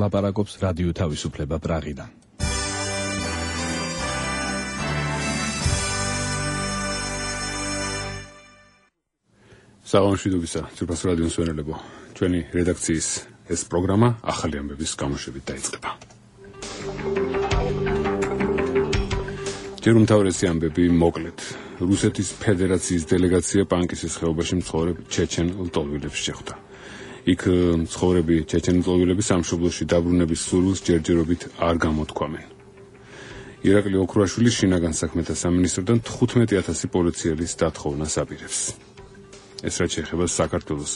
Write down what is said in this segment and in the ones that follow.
ლაპარაკობს რადიო თავისუფლება პრაღიდან. საღამოშვიდობისა, ძვირფას რადიოს მსმენელებო. ჩვენი რედაქციის ეს პროგრამა ახალი ამბების გამოშვებით დაიწყება. ჯერ უმთავრესი ამბები მოკლედ. რუსეთის ფედერაციის დელეგაცია პანკისის ხეობაში მცხოვრებ ჩეჩენ ლტოლვილებს შეხვდა. იქ მცხოვრები ჩეჩენ ლტოლვილები სამშობლოში დაბრუნების სურვილს ჯერჯერობით არ გამოთქვამენ. ირაკლი ოქრუაშვილი შინაგან საქმეთა სამინისტროდან 15,000 პოლიციელის დათხოვნას აპირებს. ეს რაც შეეხება საქართველოს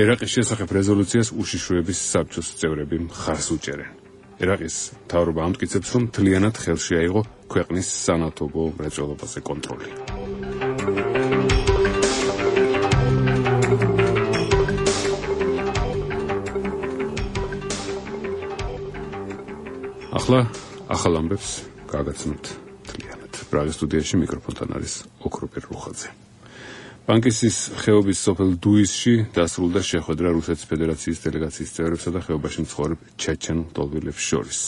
ერაყის შესახებ რეზოლუციას უშიშროების საბჭოს წევრები მხარს უჭერენ. ერაყის მთავრობა ამტკიცებს, რომ მთლიანად ხელში აიღო ქვეყნის სანავთობო მრეწველობაზე კონტროლი. ახლა ახალ ამბებს გაგაცნობთ მთლიანად. პრაღის სტუდიაში მიკროფონთან არის ოქროპერ რუხაძე. პანკისის ხეობის სოფელ დუისში დასრულდა შეხვედრა რუსეთის ფედერაციის დელეგაციის წევრებსა და ხეობაში მცხოვრებ ჩეჩენ ლტოლვილებს შორის.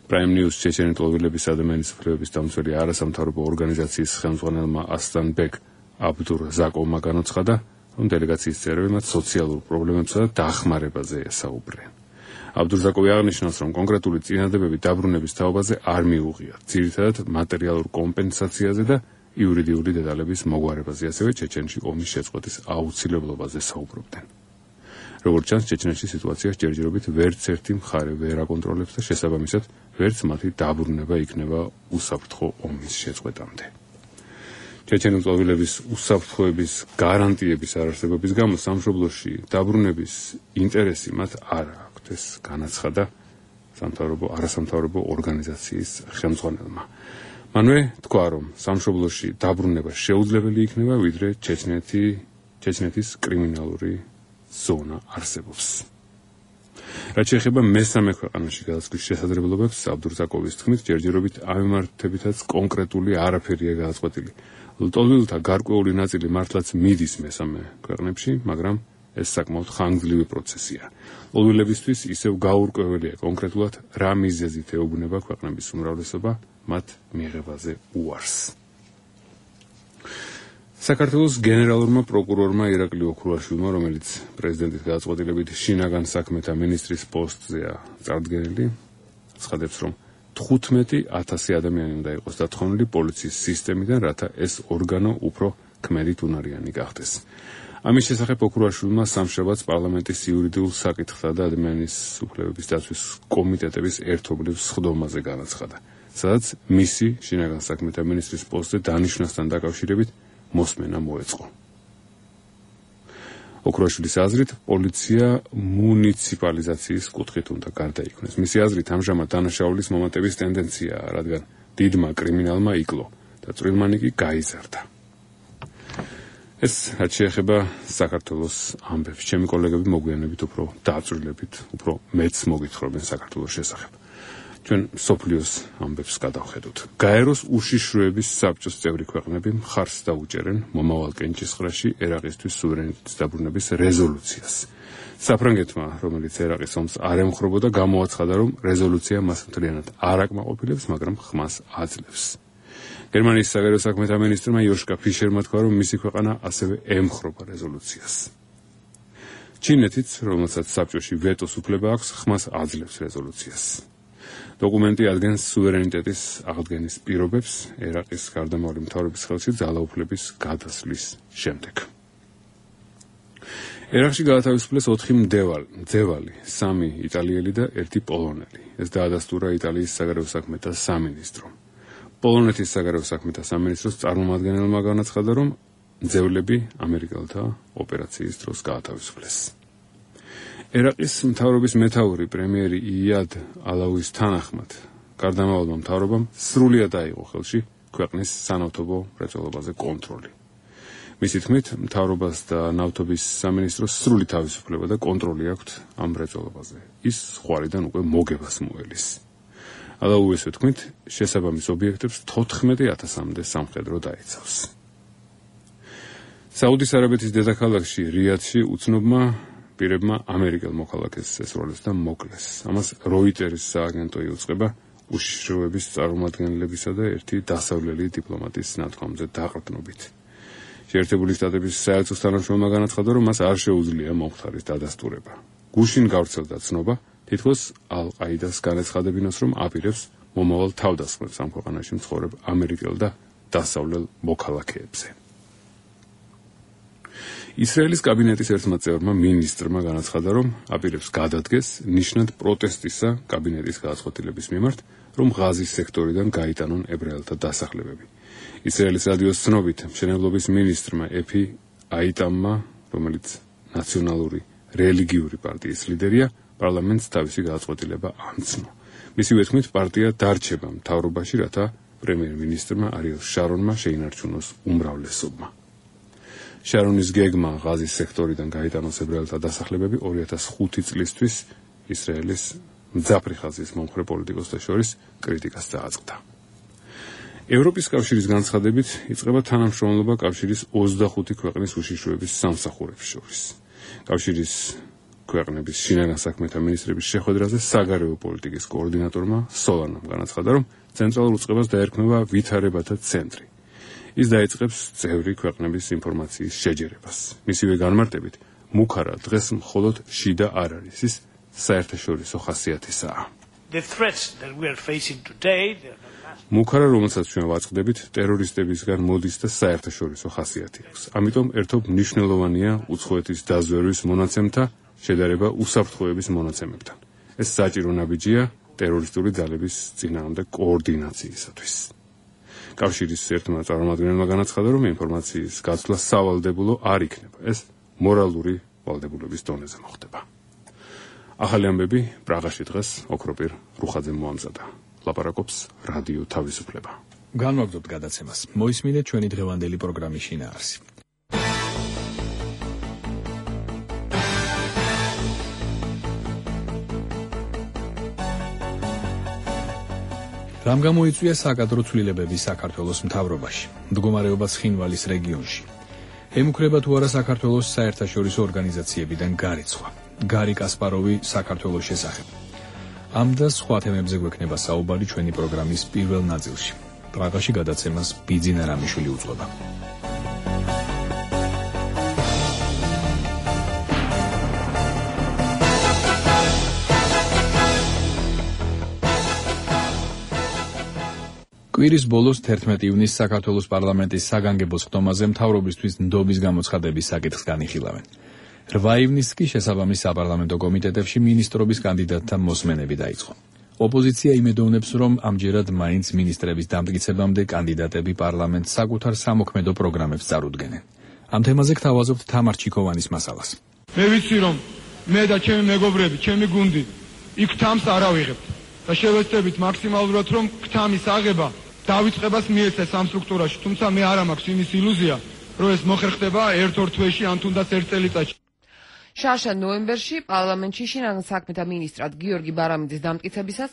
Prime News ჩეჩენი ლტოლვილების ადამიანის უფლებების დამცველი არასამთავრობო ორგანიზაციის ხელმძღვანელმა ასლანბეკ აბდურზაკოვმა განაცხადა, რომ დელეგაციის წევრები მათ სოციალურ პრობლემებსა და დახმარებაზე ესაუბრნენ. აბდურზაკოვი აღნიშნავს, რომ კონკრეტული წინადადებები დაბრუნების თაობაზე არ მიუღიათ, ძირითადად მატერიალურ კომპენსაციაზე და იურიდიული დეტალების მოგვარებაზე, ასევე ჩეჩენში ომის შეწყვეტის აუცილებლობაზე საუბრობდნენ. როგორც ჩანს, ჩეჩნეთში სიტუაციას ჯერჯერობით ვერც ერთი მხარე ვერ აკონტროლებს და შესაბამისად ვერც მათი დაბრუნება იქნება უსაფრთხო ომის შეწყვეტამდე. ჩეჩენი ლტოლვილების უსაფრთხოების გარანტიების არარსებობის გამო სამშობლოში დაბრუნების ინტერესი მათ არ აქვთ, ეს განაცხადა არასამთავრობო ორგანიზაციის ხელმძღვანელმა. მანვე თქვა, რომ სამშობლოში დაბრუნება შეუძლებელი იქნება, ვიდრე ჩეჩნეთის კრიმინალური ზონა არსებობს. რაც შეეხება მესამე ქვეყანაში გადასვლის შესაძლებლობებს, აბდურზაკოვის თქმით, ჯერჯერობით ამ მიმართებითაც კონკრეტული არაფერია გადაწყვეტილი. ლტოლვილთა გარკვეული ნაწილი მართლაც მიდის მესამე ქვეყნებში, მაგრამ ეს საკმაოდ ხანგრძლივი პროცესია. ლტოლვილებისთვის ისევ გაურკვეველია კონკრეტულად რა მიზეზით ეუბნება ქვეყნების უმრავლესობა მათ მიღებაზე უარს. საქართველოს გენერალურმა პროკურორმა ირაკლი ოქრუაშვილმა, რომელიც პრეზიდენტის გადაწყვეტილებით შინაგან საქმეთა მინისტრის პოსტზეა წარდგენილი, ცხადებს, რომ 15,000 ადამიანი უნდა იყოს დათხოვნილი პოლიციის სისტემიდან, რათა ეს ორგანო უფრო ქმედით უნარიანი გახდეს. ამის შესახებ ოქრუაშვილმა სამშაბათს პარლამენტის იურიდიულ საკითხთა და ადამიანის უფლებების დაცვის კომიტეტების ერთობლივ სხდომაზე განაცხადა, სადაც მისი შინაგან საქმეთა მინისტრის პოსტზე დანიშვნასთან დაკავშირებით მოსმენა მოეწყო. ოქრუაშვილის აზრით, პოლიცია მუნიციპალიზაციის კუთხით უნდა გარდაიქმნეს. მისი აზრით, ამჟამად დანაშაულის მომატების ტენდენციაა, რადგან დიდმა კრიმინალმა იკლო და წვრილმანი კი გაიზარდა. ეს რაც შეეხება საქართველოს ამბებს. ჩემი კოლეგები მოგვიანებით უფრო დაწვრილებით, უფრო მეც მოგითხრობენ საქართველოს შესახებ. ჩვენ სოფლიოს ამბებს გადავხედოთ. გაეროს უშიშროების საბჭოს წევრი ქვეყნები მხარს დაუჭერენ მომავალ კენჭისყრაში ერაყისთვის სუვერენიტეტის დაბრუნების რეზოლუციას. საფრანგეთმა, რომელიც ერაყის ომს არ ემხრობოდა, გამოაცხადა, რომ რეზოლუცია მას მთლიანად არ აკმაყოფილებს, მაგრამ ხმას აძლევს. გერმანიის საგარეო საქმეთა მინისტრმა იოშკა ფიშერმა თქვა, რომ მისი ქვეყანა ასევე ემხრობა რეზოლუციას. ჩინეთიც, რომელსაც საბჭოში ვეტოს უფლება აქვს, ხმას აძლევს რეზოლუციას. დოკუმენტი ადგენს სუვერენიტეტის აღდგენის პირობებს ერაყის გარდამავალი მთავრობის ხელში ძალაუფლების გადასვლის შემდეგ. ერაყში გაათავისუფლეს 4 მძევალი, 3 იტალიელი და 1 პოლონელი. ეს დაადასტურა იტალიის საგარეო საქმეთა სამინისტრომ. პოლონეთის საგარეო საქმეთა სამინისტროს წარმომადგენელმა განაცხადა, რომ მძევლები ამერიკელთა ოპერაციის დროს გაათავისუფლეს. ერაყის მთავრობის მეთაური პრემიერი იად ალაუის თანახმად, გარდამავალმა მთავრობამ სრულად აიღო ხელში ქვეყნის სანავთობო მრეწველობაზე კონტროლი. მისი თქმით, მთავრობას და ნავთობის სამინისტროს სრული თავისუფლება და კონტროლი აქვთ ამ მრეწველობაზე. ის ხვარიდან უკვე მოგებას მოელის. ალაუის თქმით, შესაბამის ობიექტებს 14,000-მდე სამხედრო დაიცავს. საუდის არაბეთის დედაქალაქში რიადში უცნობმა პირებმა ამერიკელ მოქალაქეს ესროლეს და მოკლეს. ამას როიტერის სააგენტო იუწყება უშიშროების წარმომადგენლებისა და ერთი დასავლელი დიპლომატის ნათქვამზე დაყრდნობით. შეერთებული შტატების საელჩო თანამშრომელმა განაცხადა, რომ მას არ შეუძლია მომხდარის დადასტურება. გუშინ გავრცელდა ცნობა, თითქოს ალ-ყაიდას განაცხადებინოს, რომ აპირებს მომავალ თავდასხმებს ამ ქვეყანაში მცხოვრებ ამერიკელ და დასავლელ მოქალაქეებზე. ისრაელის კაბინეტის ერთმა წევრმა მინისტრმა განაცხადა, რომ აპირებს გადადგეს ნიშნად პროტესტისა კაბინეტის გადაწყვეტილების მიმართ, რომ ღაზის სექტორიდან გაიტანონ ებრაელთა დასახლებები. ისრაელის რადიოს ცნობით, მშენებლობის მინისტრმა ეფი აიტამმა, რომელიც ნაციონალური რელიგიური პარტიის ლიდერია, პარლამენტს თავისი გადაწყვეტილება ამცნო. მისივე თქმით, პარტია დარჩება მთავრობაში, რათა პრემიერ-მინისტრმა არიელ შარონმა შეინარჩუნოს უმრავლესობა. შარონის გეგმა ღაზის სექტორიდან გაიტანოს ებრაელთა დასახლებები 2005 წლისთვის ისრაელის მძაფრი ხაზის მომხრე პოლიტიკოსთა შორის კრიტიკას დააწყდა. ევროპის კავშირის განცხადებით იწყება თანამშრომლობა კავშირის 25 ქვეყნის უშიშროების სამსახურებს შორის. კავშირის ქვეყნების შინაგან საქმეთა მინისტრების შეხვედრაზე საგარეო პოლიტიკის კოორდინატორმა სოლანამ განაცხადა, რომ ცენტრალურ უწყებას დაერქმევა ვითარებათა ცენტრი. ის დაიწყებს წევრი ქვეყნების ინფორმაციის შეჯერებას. მისივე განმარტებით, მუქარა დღეს მხოლოდ შიდა არ არის, ის საერთაშორისო ხასიათისაა. მუქარა, რომელსაც ჩვენ ვაწყდებით, ტერორისტებისგან მოდის და საერთაშორისო ხასიათი აქვს. ამიტომ ერთობ მნიშვნელოვანია უცხოეთის დაზვერვის მონაცემთა შედარება უსაფრთხოების მონაცემებთან. ეს საჭირო ნაბიჯია ტერორისტული ძალების წინააღმდეგ კოორდინაციისათვის. კავშირის ერთმა წარმომადგენელმა განაცხადა, რომ ინფორმაციის გაცვლა სავალდებულო არ იქნება. ეს მორალური ვალდებულების დონეზე მოხდება. ახალი ამბები პრაღაში დღეს ოქროპირ რუხაძემ მოამზადა. ლაპარაკობს რადიო თავისუფლება. განვაგრძობთ გადაცემას. მოისმინეთ ჩვენი დღევანდელი პროგრამის შინაარსი. რამ გამოიწვია საკადრო ცვლილებები საქართველოს მთავრობაში, მდგომარეობა ცხინვალის რეგიონში. ემუქრება თუ არა საქართველოს საერთაშორისო ორგანიზაციებიდან გარიცხვა. გარი კასპაროვი საქართველოს შესახებ. ამ და სხვა თემებზე გვექნება საუბარი ჩვენი პროგრამის პირველ ნაწილში. პრაღაში გადაცემას ბიძინა რამიშვილი უძღვება. კვირის ბოლოს 11 ივნისს საქართველოს პარლამენტის საგანგებო სხდომაზე მთავრობისთვის ნდობის გამოცხადების საკითხს განიხილავენ. 8 ივნისს კი შესაბამის საპარლამენტო კომიტეტებში მინისტრობის კანდიდატთა მოსმენები დაიწყო. ოპოზიცია იმედოვნებს, რომ ამჯერად მაინც მინისტრების დამტკიცებამდე კანდიდატები პარლამენტს საკუთარ სამოქმედო პროგრამებს წარუდგენენ. ამ თემაზე გთავაზობთ თამარ ჩიქოვანის მასალას. მე ვიცი, რომ მე და ჩემი მეგობრები, ჩემი გუნდი იქ თამს არ ავიღებთ და შევეცდებით მაქსიმალურად, რომ თამის აღება დავიწყებას მიეცეს ამ სტრუქტურაში, თუმცა მე არ მაქვს იმის ილუზია, რომ ეს მოხერხდება ერთ-ორ თვეში ან თუნდაც ერთ წელიწადში. შარშა ნოემბერში პარლამენტში შინაგან საქმეთა მინისტრად გიორგი ბარამიძის დამტკიცებისას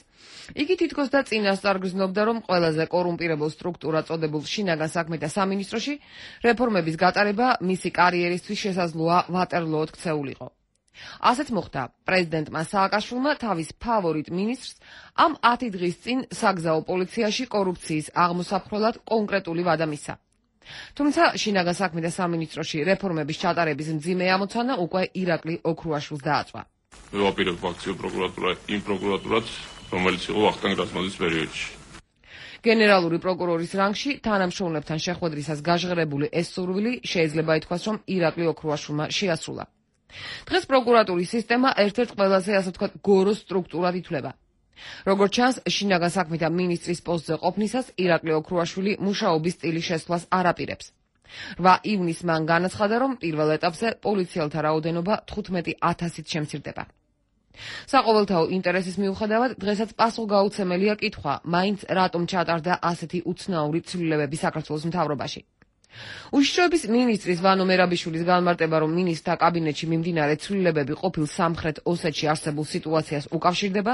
იგი თითქოს და წინასწარ გრძნობდა, რომ ყველაზე კორუმპირებულ სტრუქტურად წოდებულ შინაგან საქმეთა სამინისტროში რეფორმების გატარება მისი კარიერისთვის შესაძლოა ვატერლოოდ ქცეულიყო. ასეთ მოხდა პრეზიდენტმა სააკაშვილმა თავის ფავორიტ მინისტრს ამ 10 დღის წინ საგზაო პოლიციაში კორუფციის აღმოსაფრთხებლად კონკრეტული ვადა მისცა. თუმცა შინაგან საქმეთა სამინისტროში რეფორმების ჩატარების მძიმე ამოცანა უკვე ირაკლი ოქრუაშვილს დააწვა. მე ვაპირებ აქციურ იმ პროკურატურას, რომელიც იყო ვახტანგ რაზმაძის პერიოდში. გენერალური პროკურორის რანგში თანამშრომლებთან შეხვედრისას გაჟღერებული ეს სურვილი შეიძლება ითქვას, რომ ირაკლი ოქრუაშვილმა შეასრულა. დღეს პროკურატურის სისტემა ერთ-ერთ ყველაზე, ასე ვთქვათ, გოროს სტრუქტურად ითვლება. როგორც ჩანს, შინაგან საქმეთა მინისტრის პოსტზე ყოფნისას ირაკლი ოქრუაშვილი მუშაობის სტილის შესვლას არ აპირებს. 8 ივნისს მან განაცხადა, რომ პირველ ეტაპზე პოლიციელთა რაოდენობა 15,000-ით შემცირდება. საყოველთაო ინტერესის მიუხედავად, დღესაც პასუხგაუცემელია კითხვა, მაინც რატომ ჩატარდა ასეთი უცნაური ცვლილებები საქართველოს მთავრობაში. უშიშროების მინისტრის ვანო მერაბიშვილის განმარტება, რომ მინისტრთა კაბინეტში მიმდინარე ცვლილებები ყოფილ სამხრეთ ოსეთში არსებულ სიტუაციას უკავშირდება,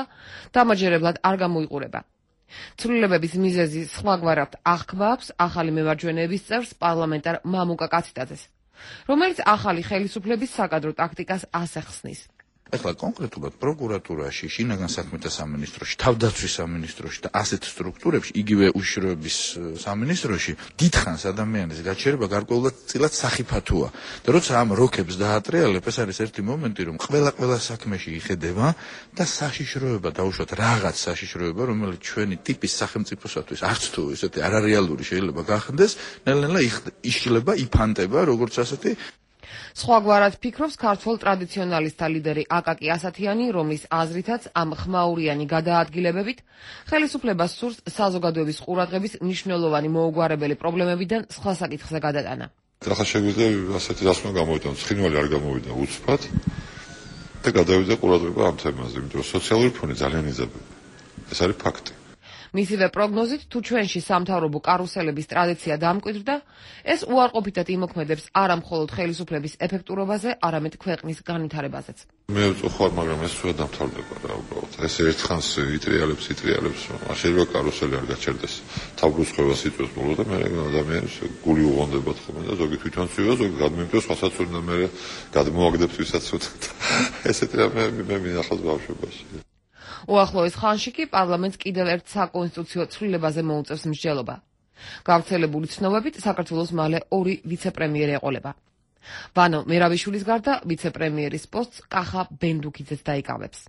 დამაჯერებლად არ გამოიყურება. ცვლილებების მიზეზი სხვაგვარად აღქვა აქვს ახალი მემარჯვენეების წევრს პარლამენტარ მამუკა კაციტაძეს. რომელიც ახალი ხელისუფლების საკადრო ტაქტიკას ასახსნის. ეხლა კონკრეტულად პროკურატურაში, შინაგან საქმეთა სამინისტროში, თავდაცვის სამინისტროში და ასეთ სტრუქტურებში, იგივე უშიშროების სამინისტროში დიდხანს ადამიანის გაჩერება გარკვეულად წილად სახიფათოა. და როცა ამ როქებს დაატრიალებ, ეს არის ერთი მომენტი, რომ ყველა საქმეში იხედება და საშიშროება დაუშვათ რაღაც საშიშროება, რომელიც ჩვენი ტიპის სახელმწიფოსათვის არც თუ ესეთი არარეალური შეიძლება გახდეს, ნელ-ნელა იშლება, იფანტება, როგორც ასეთი. სხვაგვარად ფიქრობს ქართველ ტრადიციონალისტთა ლიდერი აკაკი ასათიანი, რომლის აზრითაც ამ ხმაურიანი გადაადგილებებით ხელისუფლებას სურს საზოგადოების ყურადღების მნიშვნელოვანი მოუგვარებელი პრობლემებიდან სხვა საკითხზე გადატანა. ახლა შეგვიძლია ასეთი დასკვნა გამოვიდონ, ცხინვალი არ გამოვიდა უცბად და გადავიდა ყურადღება ამ თემაზე, იმიტომ რომ სოციალური ფონი ძალიან იზრდება. ეს არის ფაქტი. მისივე პროგნოზით, თუ ჩვენში სამთავრობო კარუსელების ტრადიცია დამკვიდრდა, ეს უარყოფითად იმოქმედებს არა მხოლოდ ხელისუფლების ეფექტურობაზე, არამედ ქვეყნის განვითარებაზეც. მე ვწუხარ, მაგრამ ეს სულ დამთავრდება რა უბრალოდ. ეს ერთხანს იტრიალებს, რომ არ შეიძლება კარუსელი არ გაჩერდეს. თავბრუსხვევას იწვევს ბოლო და მე ადამიანს გული უღონდებათ ხოლმე და ზოგი თვითონ ცვივა, ზოგი გადმიმტევს სხვასაც უნდა მე გადმოაგდებს ვისაც უწევთ. ესეთი რამე მე მინახავს ბავშვობაში. უახლოეს ხანში კი პარლამენტს კიდევ ერთ საკონსტიტუციო ცვლილებაზე მოუწევს მსჯელობა. გავრცელებული ცნობებით, საქართველოს მალე 2 ვიცე-პრემიერი ეყოლება. ვანო მერაბიშვილის გარდა ვიცე-პრემიერის პოსტს კახა ბენდუკიძეც დაიკავებს.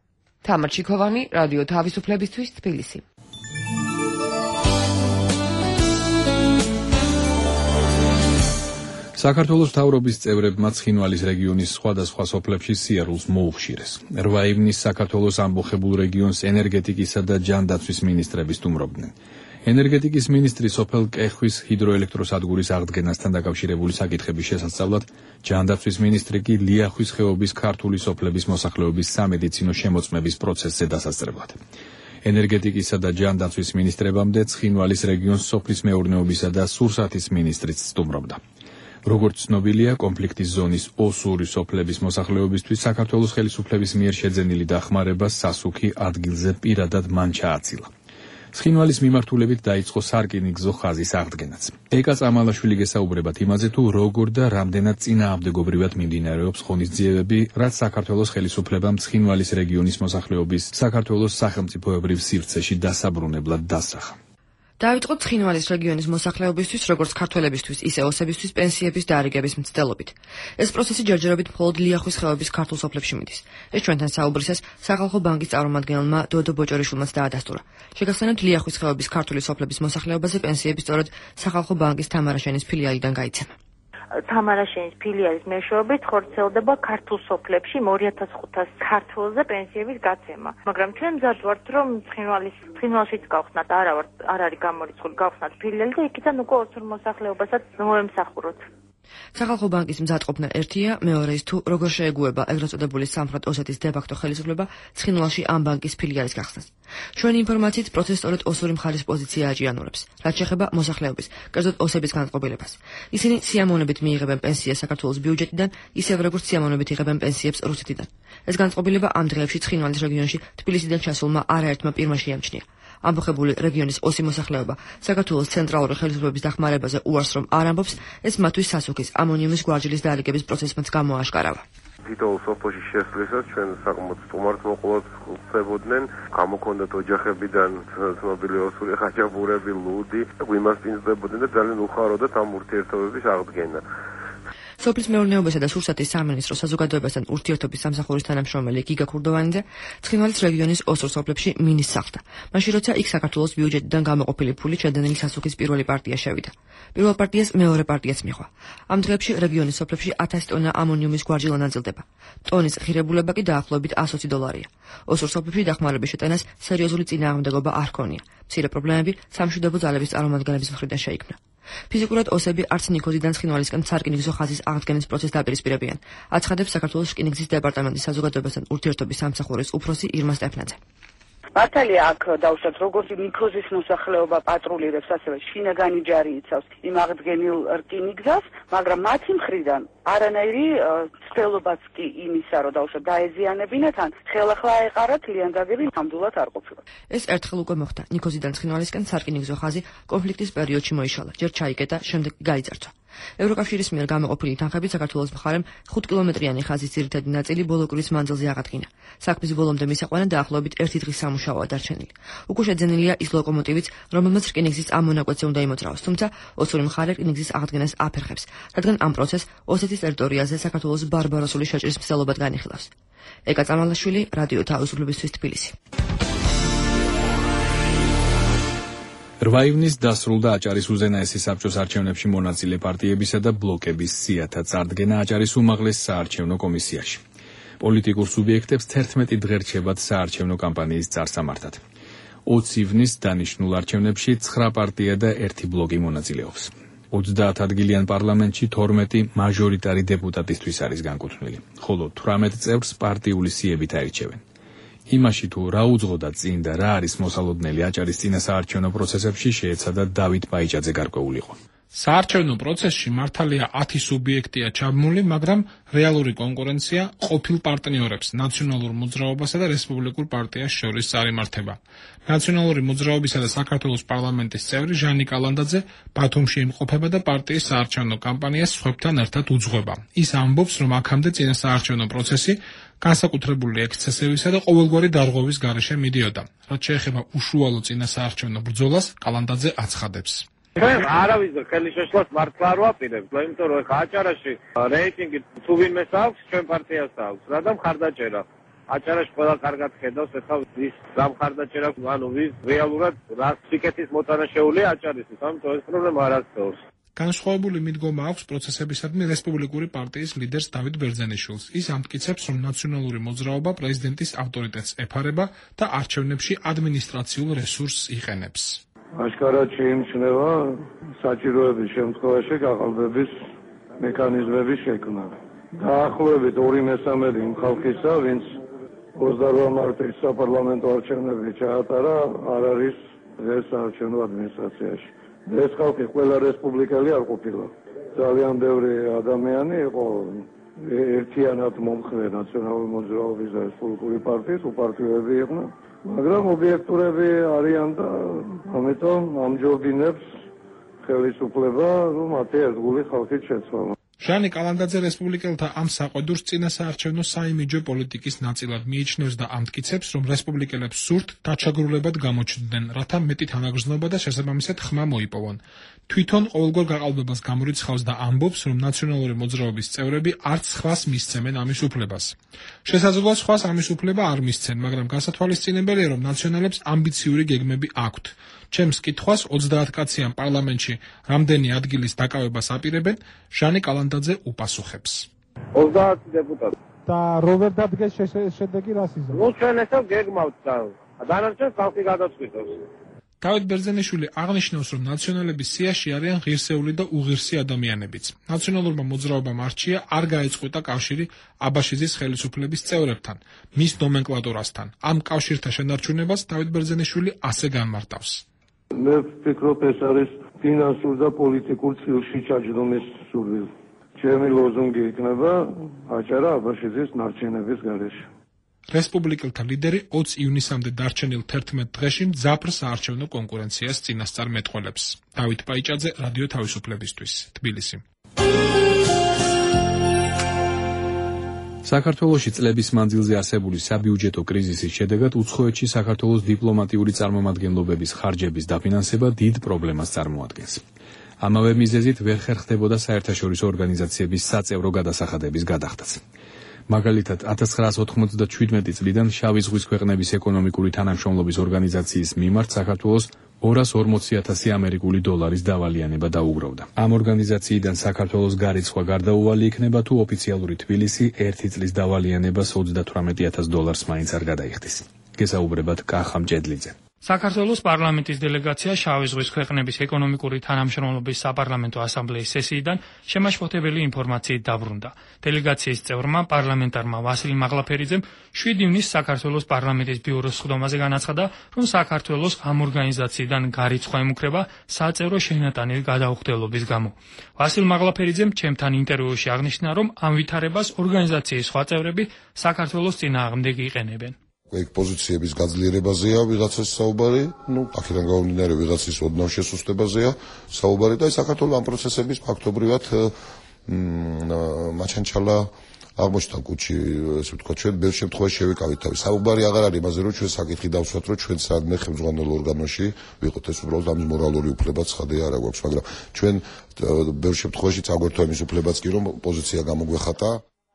თამარ ჩიქოვანი, რადიო თავისუფლებისთვის, თბილისი. საქართველოს მთავრობის წევრებმა ცხინვალის რეგიონის სხვადასხვა სოფლებში სიარულს მოუხშირეს. 8 ივნისს საქართველოს ამბოხებულ რეგიონს ენერგეტიკისა და ჯანდაცვის მინისტრები სტუმრობდნენ. ენერგეტიკის მინისტრი სოფელ კეხვის ჰიდროელექტროსადგურის აღდგენასთან დაკავშირებული საკითხების შესასწავლად, ჯანდაცვის მინისტრი კი ლიახვის ხეობის ქართული სოფლების მოსახლეობის სამედიცინო შემოწმების პროცესზე დასასწრებლად. ენერგეტიკისა და ჯანდაცვის მინისტრებამდე ცხინვალის რეგიონს სოფლის მეურნეობისა და სურსათის მინისტრიც სტუმრობდა. როგორც ცნობილია, კონფლიქტის ზონის ოსური სოფლების მოსახლეობისთვის საქართველოს ხელისუფლების მიერ შეძენილი დახმარება სასუქი ადგილზე პირადად მან ჩააცილა. ცხინვალის მიმართულებით დაიწყო სარკინიგზო ხაზის აღდგენაც. ეკა წამალაშვილი გესაუბრებათ იმაზე, თუ როგორ და რამდენად წინააღმდეგობრივად მიმდინარეობს ღონისძიებები, რაც საქართველოს ხელისუფლებამ ცხინვალის რეგიონის მოსახლეობის საქართველოს სახელმწიფოებრივ სივრცეში დასაბრუნებლად დასახა. დაიწყო ცხინვალის რეგიონის მოსახლეობისთვის, როგორც ქართველებისთვის, ისე ოსებისთვის პენსიების დაარიგების მცდელობით. ეს პროცესი ჯერჯერობით მხოლოდ ლიახვის ხეობის ქართულ სოფლებში მიდის. ეს ჩვენთან საუბრისას სახალხო ბანკის წარმომადგენელმა დოდო ბოჭორიშვილმაც დაადასტურა. შეგახსენებთ, ლიახვის ხეობის ქართული სოფლების მოსახლეობაზე პენსიები სწორედ სახალხო ბანკის თამარაშენის ფილიალიდან გაიცემა. თამარაშენის ფილიალის მეშვეობით ხორციელდება ქართულ სოფლებში 2500 ქართველზე პენსიების გაცემა. მაგრამ ჩვენ მზად ვართ, რომ ცხინვალშიც გავხსნათ, არ არის გამორიცხული, გავხსნათ ფილიალი და იქიდან უკვე ოსურ მოსახლეობასაც მოემსახუროთ. სახალხო ბანკის მზადყოფნა ერთია, მეორე ის თუ როგორ შეეგუება ეგრეთ წოდებული სამხრეთ ოსეთის დე-ფაქტო ხელისუფლება ცხინვალში ამ ბანკის ფილიალის გახსნას. ჩვენი ინფორმაციით პროცესი სწორედ ოსური მხარის პოზიცია აჭიანურებს, რაც შეეხება მოსახლეობის, კერძოდ ოსების განწყობილებას. ისინი სიამოვნებით მიიღებენ პენსიას საქართველოს ბიუჯეტიდან, ისევ როგორც სიამოვნებით იღებენ პენსიებს რუსეთიდან. ეს განწყობილება ამ დღეებში ცხინვალის რეგიონში თბილისიდან ჩასულმა არაერთმა პირმა შეამჩნია. ამბოხებული რეგიონის ოსი მოსახლეობა საქართველოს ცენტრალური ხელისუფლების დახმარებაზე უარს რომ არ ამბობს, ეს მათთვის სასუქის ამონიუმის გვარჯილის დაალიგების პროცესმაც გამოაშკარავა. თითოეულ სოფელში შესვლისას ჩვენ საკმაოდ სტუმარს მოყოლად ხდებოდნენ, გამოქონდათ ოჯახებიდან ცნობილი ოსური ხაჭაპურები, ლუდი, გვიმასპინძლებოდნენ და ძალიან უხაროდათ ამ ურთიერთობების აღდგენა. სოფლის მეურნეობისა და სურსათის სამინისტრო საზოგადოებასთან ურთიერთობის სამსახურის თანამშრომელი გიგა ქურდოვანიძე ცხინვალის რეგიონის ოსურ სოფლებში მინის სახლდა. მაშინ როცა იქ საქართველოს ბიუჯეტიდან გამოყოფილი ფული ჩადენილი სასუქის პირველი პარტია შევიდა. პირველ პარტიას მეორე პარტიაც მიჰყვა. ამ დღეებში რეგიონის სოფლებში 1000 ტონა ამონიუმის გვარჯილ ანაწილდება. ტონის ღირებულება კი დაახლოებით $120. ოსურ სოფლებში დახმარების შეტანას სერიოზული წინააღმდეგობა არ ჰქონია. მცირე პრობლემები სამშვიდობო ძალების წარმომადგენლების მხრიდან შეიქმნა. ფიზიკურად ოსები არც ნიქოზიდან ცხინვალისკენ სარკინიგზო ხაზის აღდგენის პროცესს დაპირისპირებიან. აცხადებს საქართველოს რკინიგზის დეპარტამენტის საზოგადოებასთან ურთიერთობის სამსახურის უფროსი ირმა სტეფნაძე. მართალია აქ დავუშვათ როგორც ნიქოზის მოსახლეობა პატრულირებს, ასევე შინაგანი ჯარი იცავს იმ აღდგენილ რკინიგზას, მაგრამ მათი მხრიდან არანაირი ცდილობაც კი იმისა, რომ დავუშვათ დაეზიანებინათ, ან ხელახლა აეყარათ ლიანდაგები ნამდვილად არ ყოფილა. ეს ერთხელ უკვე მოხდა. ნიქოზიდან ცხინვალისკენ სარკინიგზო ხაზი კონფლიქტის პერიოდში მოიშალა. ჯერ ჩაიკეტა, შემდეგ გაიძარცვა. ევროკავშირის მიერ გამოყოფილი თანხებით საქართველოს მხარემ 5 კილომეტრიანი ხაზის ძირითადი ნაწილი ბოლო კვირის მანძილზე აღადგინა. საქმის ბოლომდე მისაყვანად დაახლოებით 1 დღის სამუშაოა დარჩენილი. უკვე შეძენილია ის ლოკომოტივიც, რომელმაც რკინიგზის ამ მონაკვეთზე უნდა იმოძრავოს, თუმცა ოსური მხარე რკინიგზის აღდგენას აფერხებს, რადგან ამ პროცესს ოსეთის ტერიტორიაზე საქართველოს ბარბაროსული შეჭრის მცდელობად განიხილავს. ეკა წამალაშვილი, რადიო თავისუფლებისთვის თბილისი. 8 ივნის დასრულდა აჭარის უზენაესი საბჭოს არჩევნებში მონაწილე პარტიებისა და ბლოკების სიათა წარდგენა აჭარის უმაღლეს საარჩევნო კომისიაში. პოლიტიკურ სუბიექტებს 11 დღე რჩებათ საარჩევნო კამპანიის წარსამართად. 20 ივნის დანიშნულ არჩევნებში 9 პარტია და 1 ბლოკი მონაწილეობს. 30 ადგილიან პარლამენტში 12 მაჟორიტარი დეპუტატისთვის არის განკუთვნილი, ხოლო 18 წევრს პარტიული სიებით აირჩევენ. იმაში თუ რა უძღოდა წინ და რა არის მოსალოდნელი აჭარის წინასაარჩევნო პროცესებში შეეცადა დავით ბაიჭაძე გარკვეულიყო. საარჩევნო პროცესში მართალია 10 სუბიექტია ჩაბმული, მაგრამ რეალური კონკურენცია ყოფილ პარტნიორებს, ნაციონალურ მოძრაობასა და რესპუბლიკურ პარტიას შორის წარიმართება. ნაციონალური მოძრაობისა და საქართველოს პარლამენტის წევრი ჟანი კალანდაძე ბათუმში იმყოფება და პარტიის საარჩევნო კამპანიას სხვებთან ერთად უძღვება. ის ამბობს, რომ აქამდე წინასაარჩევნო პროცესი განსაკუთრებული ექსცესებისა და ყოველგვარი დარღვევის გარეშე მიდიოდა. რაც შეეხება უშუალო წინასაარჩევნო ბრძოლას, კალანდაძე აცხადებს. ჩვენ არავის ხელის შეშლას მართლა არ ვაპირებთ, იმიტომ რომ ხა აჭარაში რეიტინგი თუ ვინმეს აქვს, ჩვენ პარტიას აქვს, რა და მხარდაჭერა. აჭარაში ყველა კარგად ხედავს, ეხლა ის გამხარდაჭერა, ანუ ვის რეალურად რა სიკეთის მოტანა შეუძლია აჭარისთვის, ამიტომ ეს პრობლემა არ არსებობს. განსხვავებული მიდგომა აქვს პროცესებისადმი რესპუბლიკური პარტიის ლიდერს დავით ბერძენიშვილს. ის ამტკიცებს, რომ ნაციონალური მოძრაობა პრეზიდენტის ავტორიტეტს ეფარება და არჩევნებში ადმინისტრაციულ რესურსს იყენებს. აშკარად შეიმჩნევა საჭიროების შემთხვევაში გაყალბების მექანიზმების შექმნა. დაახლოებით 2/3 იმ ხალხისა, ვინც 28 მარტის საპარლამენტო არჩევნებში ჩაატარა, არ არის დღეს საარჩევნო ადმინისტრაციაში. ეს ხალხი ყველა რესპუბლიკელი არ ყოფილა. ძალიან ბევრი ადამიანი იყო ერთიანად მომხრე ნაციონალური მოძრაობის და რესპუბლიკური პარტიის უპარტიოები იყვნენ, მაგრამ ობიექტურები არიან და ამიტომ ამჯობინებს ხელისუფლება, რომ მათი ერთგული ხალხით შეცვალა. ჟანი კალანდაძე რესპუბლიკელთა ამ საყვედურს წინასაარჩევნო საიმიჯო პოლიტიკის ნაწილად მიიჩნევს და ამტკიცებს, რომ რესპუბლიკელებს სურთ დაჩაგრულებად გამოჩნდნენ, რათა მეტი თანაგრძნობა და შესაბამისად ხმა მოიპოვონ. თვითონ ყოველგვარ გაყალბებას გამორიცხავს და ამბობს, რომ ნაციონალური მოძრაობის წევრები არც სხვას მისცემენ ამის უფლებას. შესაძლოა სხვას ამის უფლება არ მისცენ, მაგრამ გასათვალისწინებელია, რომ ნაციონალებს ამბიციური გეგმები აქვთ. ჩემს კითხვას 30 კაციან პარლამენტში რამდენი ადგილის დაკავებას აპირებენ, ჟანი კალანდაძე უპასუხებს. 30 დეპუტატი. და როვერ დადგეს შედეგი რას იზრდება? ნუ ჩვენ ესა გეგმავთ და დანარჩენ ხალხი გადაწყვიტოს. დავით ბერძენიშვილი აღნიშნავს, რომ ნაციონალების სიაში არიან ღირსეული და უღირსი ადამიანებიც. ნაციონალურმა მოძრაობამ არჩია არ გაეწყვეტა კავშირი აბაშიძის ხელისუფლების წევრებთან, მის ნომენკლატურასთან. ამ კავშირთა შენარჩუნებას დავით ბერძენიშვილი ასე განმარტავს. მე ვფიქრობ, ეს არის ფინანსურ და პოლიტიკურ წილში ჩაჯდომის სურვილი. ჩემი ლოზუნგი იქნება აჭარა აბაშიძის ნარჩენების გარეშე. რესპუბლიკელთა ლიდერი 20 ივნისამდე დარჩენილ 11 დღეში მძაფრ საარჩევნო კონკურენციას წინასწარ მეტყველებს. დავით ბაიჭაძე, რადიო თავისუფლებისთვის, თბილისი. საქართველოში წლების მანძილზე არსებული საბიუჯეტო კრიზისის შედეგად უცხოეთში საქართველოს დიპლომატიური წარმომადგენლობების ხარჯების დაფინანსება დიდ პრობლემას წარმოადგენს. ამავე მიზეზით ვერ ხერხდებოდა საერთაშორისო ორგანიზაციების საწევრო გადასახადების გადახდაც. მაგალითად 1997 წლიდან შავი ზღვის ქვეყნების ეკონომიკური თანამშრომლობის ორგანიზაციის მიმართ საქართველოს 240,000 ამერიკული დოლარის დავალიანება დაუგროვდა. ამ ორგანიზაციიდან საქართველოს გარიცხვა გარდაუვალი იქნება თუ ოფიციალური თბილისი 1 წლის დავალიანებას 38,000 დოლარს მაინც არ გადაიხდის. გესაუბრებად კახა მჭედლიძე. საქართველოს პარლამენტის დელეგაცია შავი ზღვის ქვეყნების ეკონომიკური თანამშრომლობის საპარლამენტო ასამბლეის სესიიდან შემაშფოთებელი ინფორმაციით დაბრუნდა. დელეგაციის წევრმა პარლამენტარმა ვასილ მაღლაფერიძემ 7 ივნისს საქართველოს პარლამენტის ბიუროს სხდომაზე განაცხადა, რომ საქართველოს ამ ორგანიზაციიდან გარიცხვა ემუქრება საწევრო შენატანილი გადაუხდელობის გამო. ვასილ მაღლაფერიძემ ჩემთან ინტერვიუში აღნიშნა, რომ ამ ვითარებას ორგანიზაციის სხვა წევრები საქართველოს წინააღმდეგ იყენებენ. ეგ პოზიციების გაძლიერებაზეა ვიღაცას საუბარი, აქედან გამომდინარე ვიღაცის ოდნავ შესუსტებაზეა საუბარი და საქართველოს ამ პროცესების ფაქტობრივად მაჩანჩალა აღმოჩნდა კუჩი, ესე ვთქვათ, ჩვენ ბევრ შემთხვევაში შევიკავით თავი. საუბარი აღარ არის იმაზე, რომ ჩვენ საკითხი დავსვათ, რომ ჩვენ სადმე ხელმძღვანელ ორგანოში ვიყოთ, ეს უბრალოდ ამის მორალური უფლებაც ხადე არ აქვს, მაგრამ ჩვენ ბევრ შემთხვევაში წაგვერთვა იმის უფლებაც კი, რომ პოზიცია გამოგვეხატა.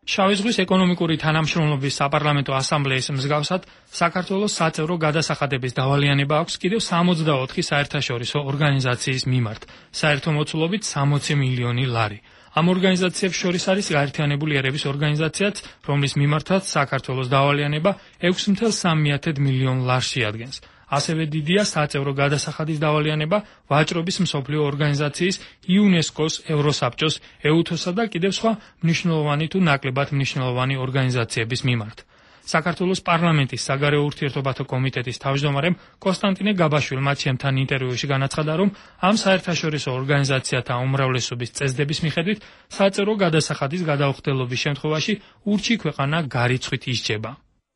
შავი ზღვის ეკონომიკური თანამშრომლობის საპარლამენტო ასამბლეის მსგავსად საქართველოს საწევრო გადასახადების დავალიანება აქვს კიდევ 64 საერთაშორისო ორგანიზაციის მიმართ, საერთო მოცულობით 60 მილიონი ლარი. ამ ორგანიზაციებს შორის არის გაერთიანებული ერების ორგანიზაციაც, რომლის მიმართაც საქართველოს დავალიანება 6.3 მილიონ ლარს შეადგენს. ასევე დიდია საწევრო გადასახადის დავალიანება ვაჭრობის მსოფლიო ორგანიზაციის, იუნესკოს, ევროსაბჭოს, ეუთოსა და კიდევ სხვა მნიშვნელოვანი თუ ნაკლებად მნიშვნელოვანი ორგანიზაციების მიმართ. საქართველოს პარლამენტის საგარეო ურთიერთობათა კომიტეტის თავმჯდომარემ კონსტანტინე გაბაშვილმა ჩემთან ინტერვიუში განაცხადა, რომ ამ საერთაშორისო ორგანიზაციათა უმრავლესობის წესდების მიხედვით საწევრო გადასახადის გადაუხდელობის შემთხვევაში ურჩი ქვეყანა გარიცხვით ისჯება.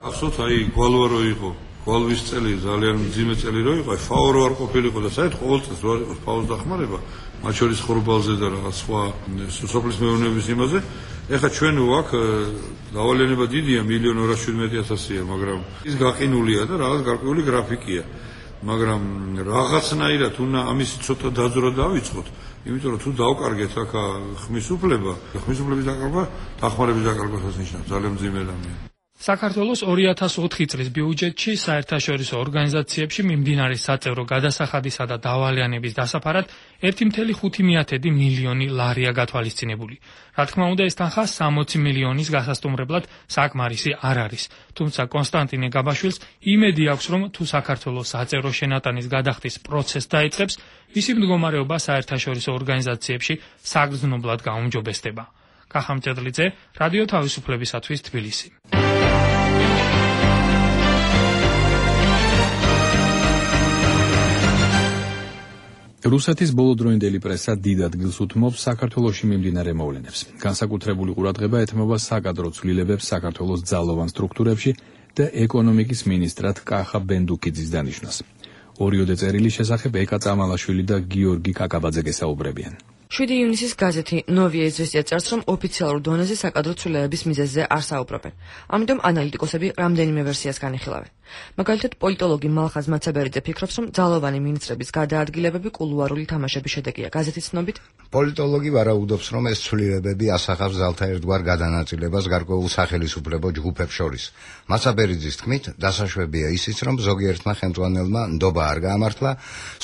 Absolut, აი გვალვა რო იყო, გვალვის წელი ძალიან მძიმე წელი რო იყო, ფაო რო არ ყოფილიყო და საერთოდ ყოველწელს რო არ იყო ფაოს დახმარება, მათ შორის ხორბალზე და რაღაც სხვა სოფლის მეურნეობის იმაზე. ეხლა ჩვენ ვაკ დავალიანება დიდია 1.217.000-ია, მაგრამ ის გაყინულია და რაღაც გარკვეული გრაფიკია. მაგრამ რაღაცნაირად უნდა ამის ცოტა დაძრა დავიწყოთ, იმიტომ რომ თუ დავკარგეთ აქ ხმის უფლება, ხმის უფლების დაკარგვა, დახმარების დაკარგვასაც ნიშნავს ძალიან მძიმე რამეა. საქართველოს 2004 წლის ბიუჯეტში საერთაშორისო ორგანიზაციებში მიმდინარე საწევრო გადასახადისა და დავალიანების დასაფარად 1.5 მილიონი ლარია გათვალისწინებული. რა თქმა უნდა, ეს თანხა 60 მილიონის გასასტუმრებლად საკმარისი არ არის. თუმცა კონსტანტინე გაბაშვილს იმედი აქვს, რომ თუ საქართველოს საწევრო შენატანის გადახდის პროცესს დაიწყებს, მისი მდგომარეობა საერთაშორისო ორგანიზაციებში საგრძნობლად გაუმჯობესდება. კახამჭედლიძე, რადიო თავისუფლებისათვის თბილისი. რუსეთის ბოლოდროინდელი პრესა დიდ ადგილს უთმობს საქართველოში მიმდინარე მოვლენებს. განსაკუთრებული ყურადღება ეთმობა საკადრო ცვლილებებს საქართველოს ძალოვან სტრუქტურებში და ეკონომიკის მინისტრად კახა ბენდუკიძის დანიშვნას. ორიოდე წერილის შესახებ ეკა წამალაშვილი და გიორგი კაკაბაძე გესაუბრებიან. 7 ივნისის გაზეთი ნოვია იზვესტია წერს, რომ ოფიციალურ დონეზე საკადრო ცვლილებების მიზეზზე არ საუბრობენ. ამიტომ ანალიტიკოსები რამდენიმე ვერსიას განიხილავენ. მაგალითად, პოლიტოლოგი მალხაზ მაცაბერიძე ფიქრობს, რომ ძალოვანი მინისტრების გადაადგილებები კულუარული თამაშების შედეგია. გაზეთის ცნობით, პოლიტოლოგი ვარაუდობს, რომ ეს ცვლილებები ასახავს ძალთა ერთგვარ გადანაწილებას გარკვეულ სახელისუფლებო ჯგუფებს შორის. მაცაბერიძის თქმით, დასაშვებია ისიც, რომ ზოგიერთმა ხელმძღვანელმა ნდობა არ გაამართლა,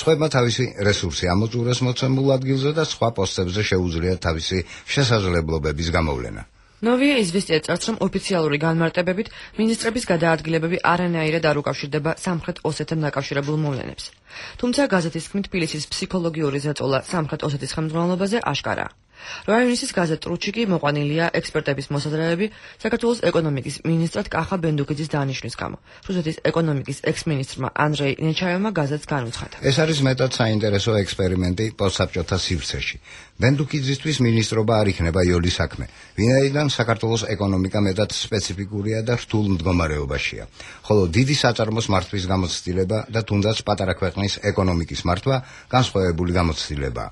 სხვებმა თავისი რესურსი ამოწურეს მოცემულ ადგილზე და სხვა პოსტებზე შეუძლიათ თავისი შესაძლებლობების გამოვლენა. ნოვია იზვესტია წერს, რომ ოფიციალური განმარტებებით მინისტრების გადაადგილებები არანაირად არ უკავშირდება სამხრეთ ოსეთთან დაკავშირებულ მოვლენებს. თუმცა გაზეთის თქმით, თბილისის ფსიქოლოგიური ზეწოლა სამხრეთ ოსეთის ხელმძღვანელობაზე აშკარაა. 8 ივნისის გაზეთ ტრუჩი კი მოყვანილია ექსპერტების მოსაზრებები საქართველოს ეკონომიკის მინისტრად კახა ბენდუკიძის დანიშვნის გამო. რუსეთის ეკონომიკის ექს-მინისტრმა ანდრეი ნეჩაევმა გაზეთს განუცხადა. ეს არის მეტად საინტერესო ექსპერიმენტი პოსტსაბჭოთა სივრცეში. ბენდუკიძისთვის მინისტრობა არ იქნება იოლი საქმე, ვინაიდან საქართველოს ეკონომიკა მეტად სპეციფიკურია და რთულ მდგომარეობაშია, ხოლო დიდი საწარმოს მართვის გამოცდილება და თუნდაც პატარა ქვეყნის ეკონომიკის მართვა განსხვავებული გამოცდილებაა.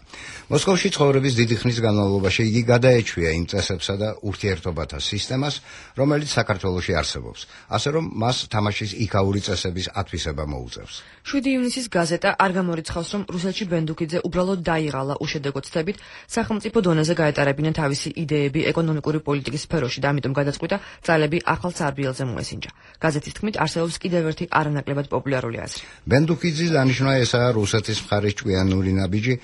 მოსკოვში ცხოვრების დიდი ხნის განმავლობაში იგი გადაეჩვია იმ წესებსა და ურთიერთობათა სისტემას, რომელიც საქართველოში არსებობს, ასე რომ მას თამაშის იქაური წესების ათვისება მოუწევს. 7 ივნისის გაზეტა არ გამორიცხავს, რომ რუსეთში ბენდუკიძე უბრალოდ დაიღალა უშედეგო ცდებით, სახელმწიფო დონეზე გაეტარებინა თავისი იდეები ეკონომიკური პოლიტიკის სფეროში და ამიტომ გადაწყვიტა ძალები ახალ სარბიელზე მოესინჯა. გაზეთის თქმით, არსებობს კიდევ ერთი არანაკლებად პოპულარული აზრი. ბენდუკიძის დანიშვნა ესაა რუსეთის მხარის ჭკვიანური ნაბიჯი,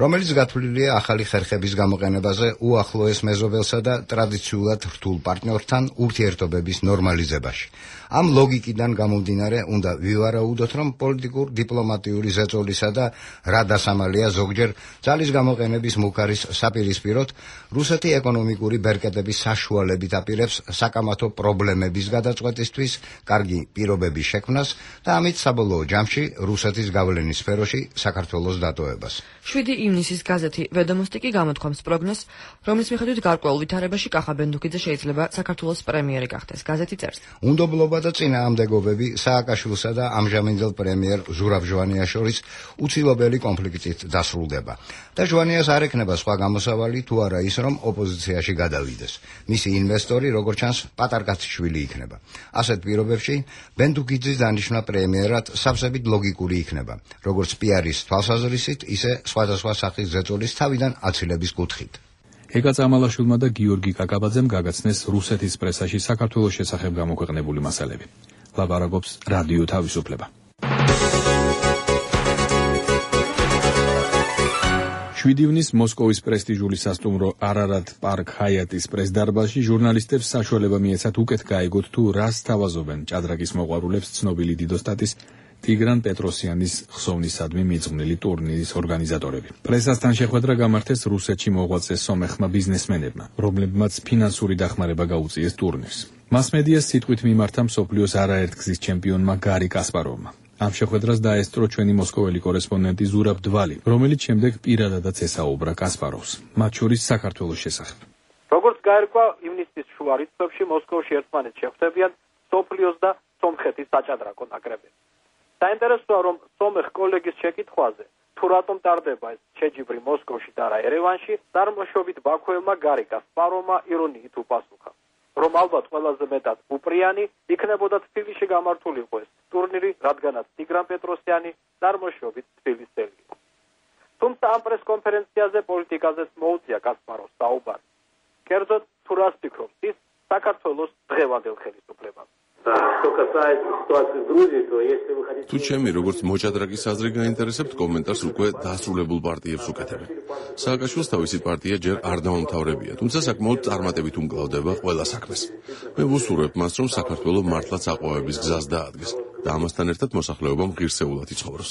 რომელიც გათვლილია ახალი ხერხების გამოყენებაზე უახლოეს მეზობელსა და ტრადიციულად რთულ პარტნიორთან ურთიერთობების ნორმალიზებაში. ამ ლოგიკიდან გამომდინარე, უნდა ვივარაუდოთ, რომ პოლიტიკურ დიპლომატიური ზეწოლისა და რა დასამალია ზოგჯერ ძალის გამოყენების მუქარის საპირისპიროდ რუსეთი ეკონომიკური ბერკეტების საშუალებით აპირებს საკამათო პრობლემების გადაწყვეტისთვის კარგი პირობების შექმნას და ამით საბოლოო ჯამში რუსეთის გავლენის სფეროში საქართველოს დატოვებას. 7 ივნისის გაზეთი ვედომოსტი კი გამოთქვამს პროგნოზს, რომლის მიხედვით გარკვეულ ვითარებაში კახა ბენდუქიძე შეიძლება საქართველოს პრემიერი გახდეს. გაზეთი წერს. უნდობლობა და წინააღმდეგობები სააკაშვილსა და ამჟამინდელ პრემიერ ზურაბ ჟვანიას შორის უცილობელი კონფლიქტით დასრულდება. და ჟვანიას არ ექნება სხვა გამოსავალი თუ არა ის, რომ ოპოზიციაში გადავიდეს. მისი ინვესტორი, როგორც ჩანს, პატარკაცშვილი იქნება. ასეთ პირობებში ბენდუქიძის დანიშვნა პრემიერად სავსებით ლოგიკური იქნება, როგორც პიარის თვალსაზრისით, ისე სხვადასხვა სახის ზეწოლის თავიდან აცილების კუთხით. ეკა წამალაშვილმა და გიორგი კაკაბაძემ გაგაცნეს რუსეთის პრესაში საქართველოს შესახებ გამოქვეყნებული მასალები. ლაპარაკობს რადიო თავისუფლება. 7 ივნისს მოსკოვის პრესტიჟული სასტუმრო არარატ პარკ ჰაიატის პრესდარბაზში ჟურნალისტებს საშუალება მიეცათ უკეთ გაეგოთ თუ რას თავაზობენ ჭადრაკის მოყვარულებს ცნობილი დიდოსტატის ტიგრან პეტროსიანის ხსოვნისადმი მიძღვნილი ტურნირის ორგანიზატორები. პრესასთან შეხვედრა გამართეს რუსეთში მოღვაწე სომეხმა ბიზნესმენებმა, რომლებმაც ფინანსური დახმარება გაუწიეს ტურნირს. მასმედიას სიტყვით მიმართა მსოფლიოს არაერთგზის ჩემპიონმა გარი კასპაროვმა. ამ შეხვედრას დაესწრო ჩვენი მოსკოველი კორესპონდენტი ზურაბ დვალი, რომელიც შემდეგ პირადადაც ესაუბრა კასპაროვს, მათ შორის საქართველოს შესახებ. როგორც გაირკვა, ივნისის შუა რიცხვებში მოსკოვში ერთმანეთს შეხვდებიან სოფლიოს და სომხეთის საჭადრაკო ნაკრებები. საინტერესოა, რომ სომეხ კოლეგის შეკითხვაზე, თუ რატომ ტარდება ეს შეჯიბრი მოსკოვში და არა ერევანში, წარმოშობით ბაქოელმა გარი კასპაროვმა ირონიით უპასუხა, რომ ალბათ ყველაზე მეტად უპრიანი იქნებოდა თბილისში გამართულიყო ეს ტურნირი, რადგანაც ტიგრან პეტროსიანი წარმოშობით თბილისელი იყო. თუმცა ამ პრესკონფერენციაზე პოლიტიკაზეც მოუწია კასპაროვს საუბარი. კერძოდ, თუ რას ფიქრობს ის საქართველოს დღევანდელ ხელისუფლებაზე. თუ ჩემი როგორც მოჭადრაკის აზრი გაინტერესებთ, კომენტარს უკვე დასრულებულ პარტიებს უკეთებენ. სააკაშვილს თავისი პარტია ჯერ არ დაუმთავრებია, თუმცა საკმაოდ წარმატებით უმკლავდება ყველა საქმეს. მე ვუსურვებ მას, რომ საქართველოს მართლაც აყვავების გზას დაადგეს და ამასთან ერთად მოსახლეობამ ღირსეულად იცხოვროს.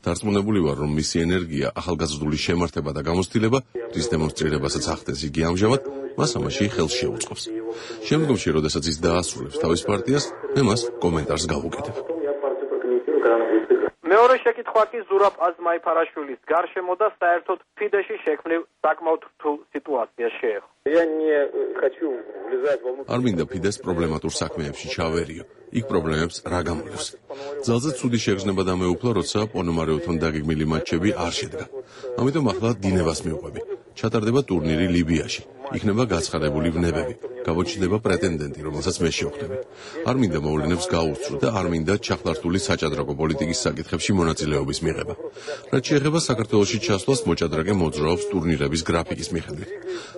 დარწმუნებული ვარ, რომ მისი ენერგია, ახალგაზრდული შემართება და გამოცდილება, რის დემონსტრირებასაც ახდენს იგი ამჟამად, მას ამაში ხელს შეუწყობს. შემდგომში, როდესაც ის დაასრულებს თავის პარტიას, მე მას კომენტარს გავუკეთებ. მეორე შეკითხვა კი ზურაბ აზმაიფარაშვილის გარშემო და საერთოდ ფიდეში შექმნილ საკმაოდ რთულ სიტუაციას შეეხო. არ მინდა ფიდეს პრობლემატურ საქმეებში ჩავერიო. იქ პრობლემებს რა გამოიწვევს. ძალზე ცუდი შეგრძნება დამეუფლა, როცა პონომარეოთონ დაგეგმილი მატჩები არ შედგა. ამიტომ ახლა დინებას მივყვები. ჩატარდება ტურნირი ლიბიაში. იქნება გაცხადებული ვნებები. გამოჩნდება პრეტენდენტი, რომელსაც მე შევხვდები. არ მინდა მოვლენებს გაუსწრო და არ მინდა ჩახლართული საჭადრაკო პოლიტიკის საკითხებში მონაწილეობის მიღება. რაც შეეხება საქართველოში ჩასვლას, მოჭადრაკე მოძრაობს ტურნირების გრაფიკის მიხედვით.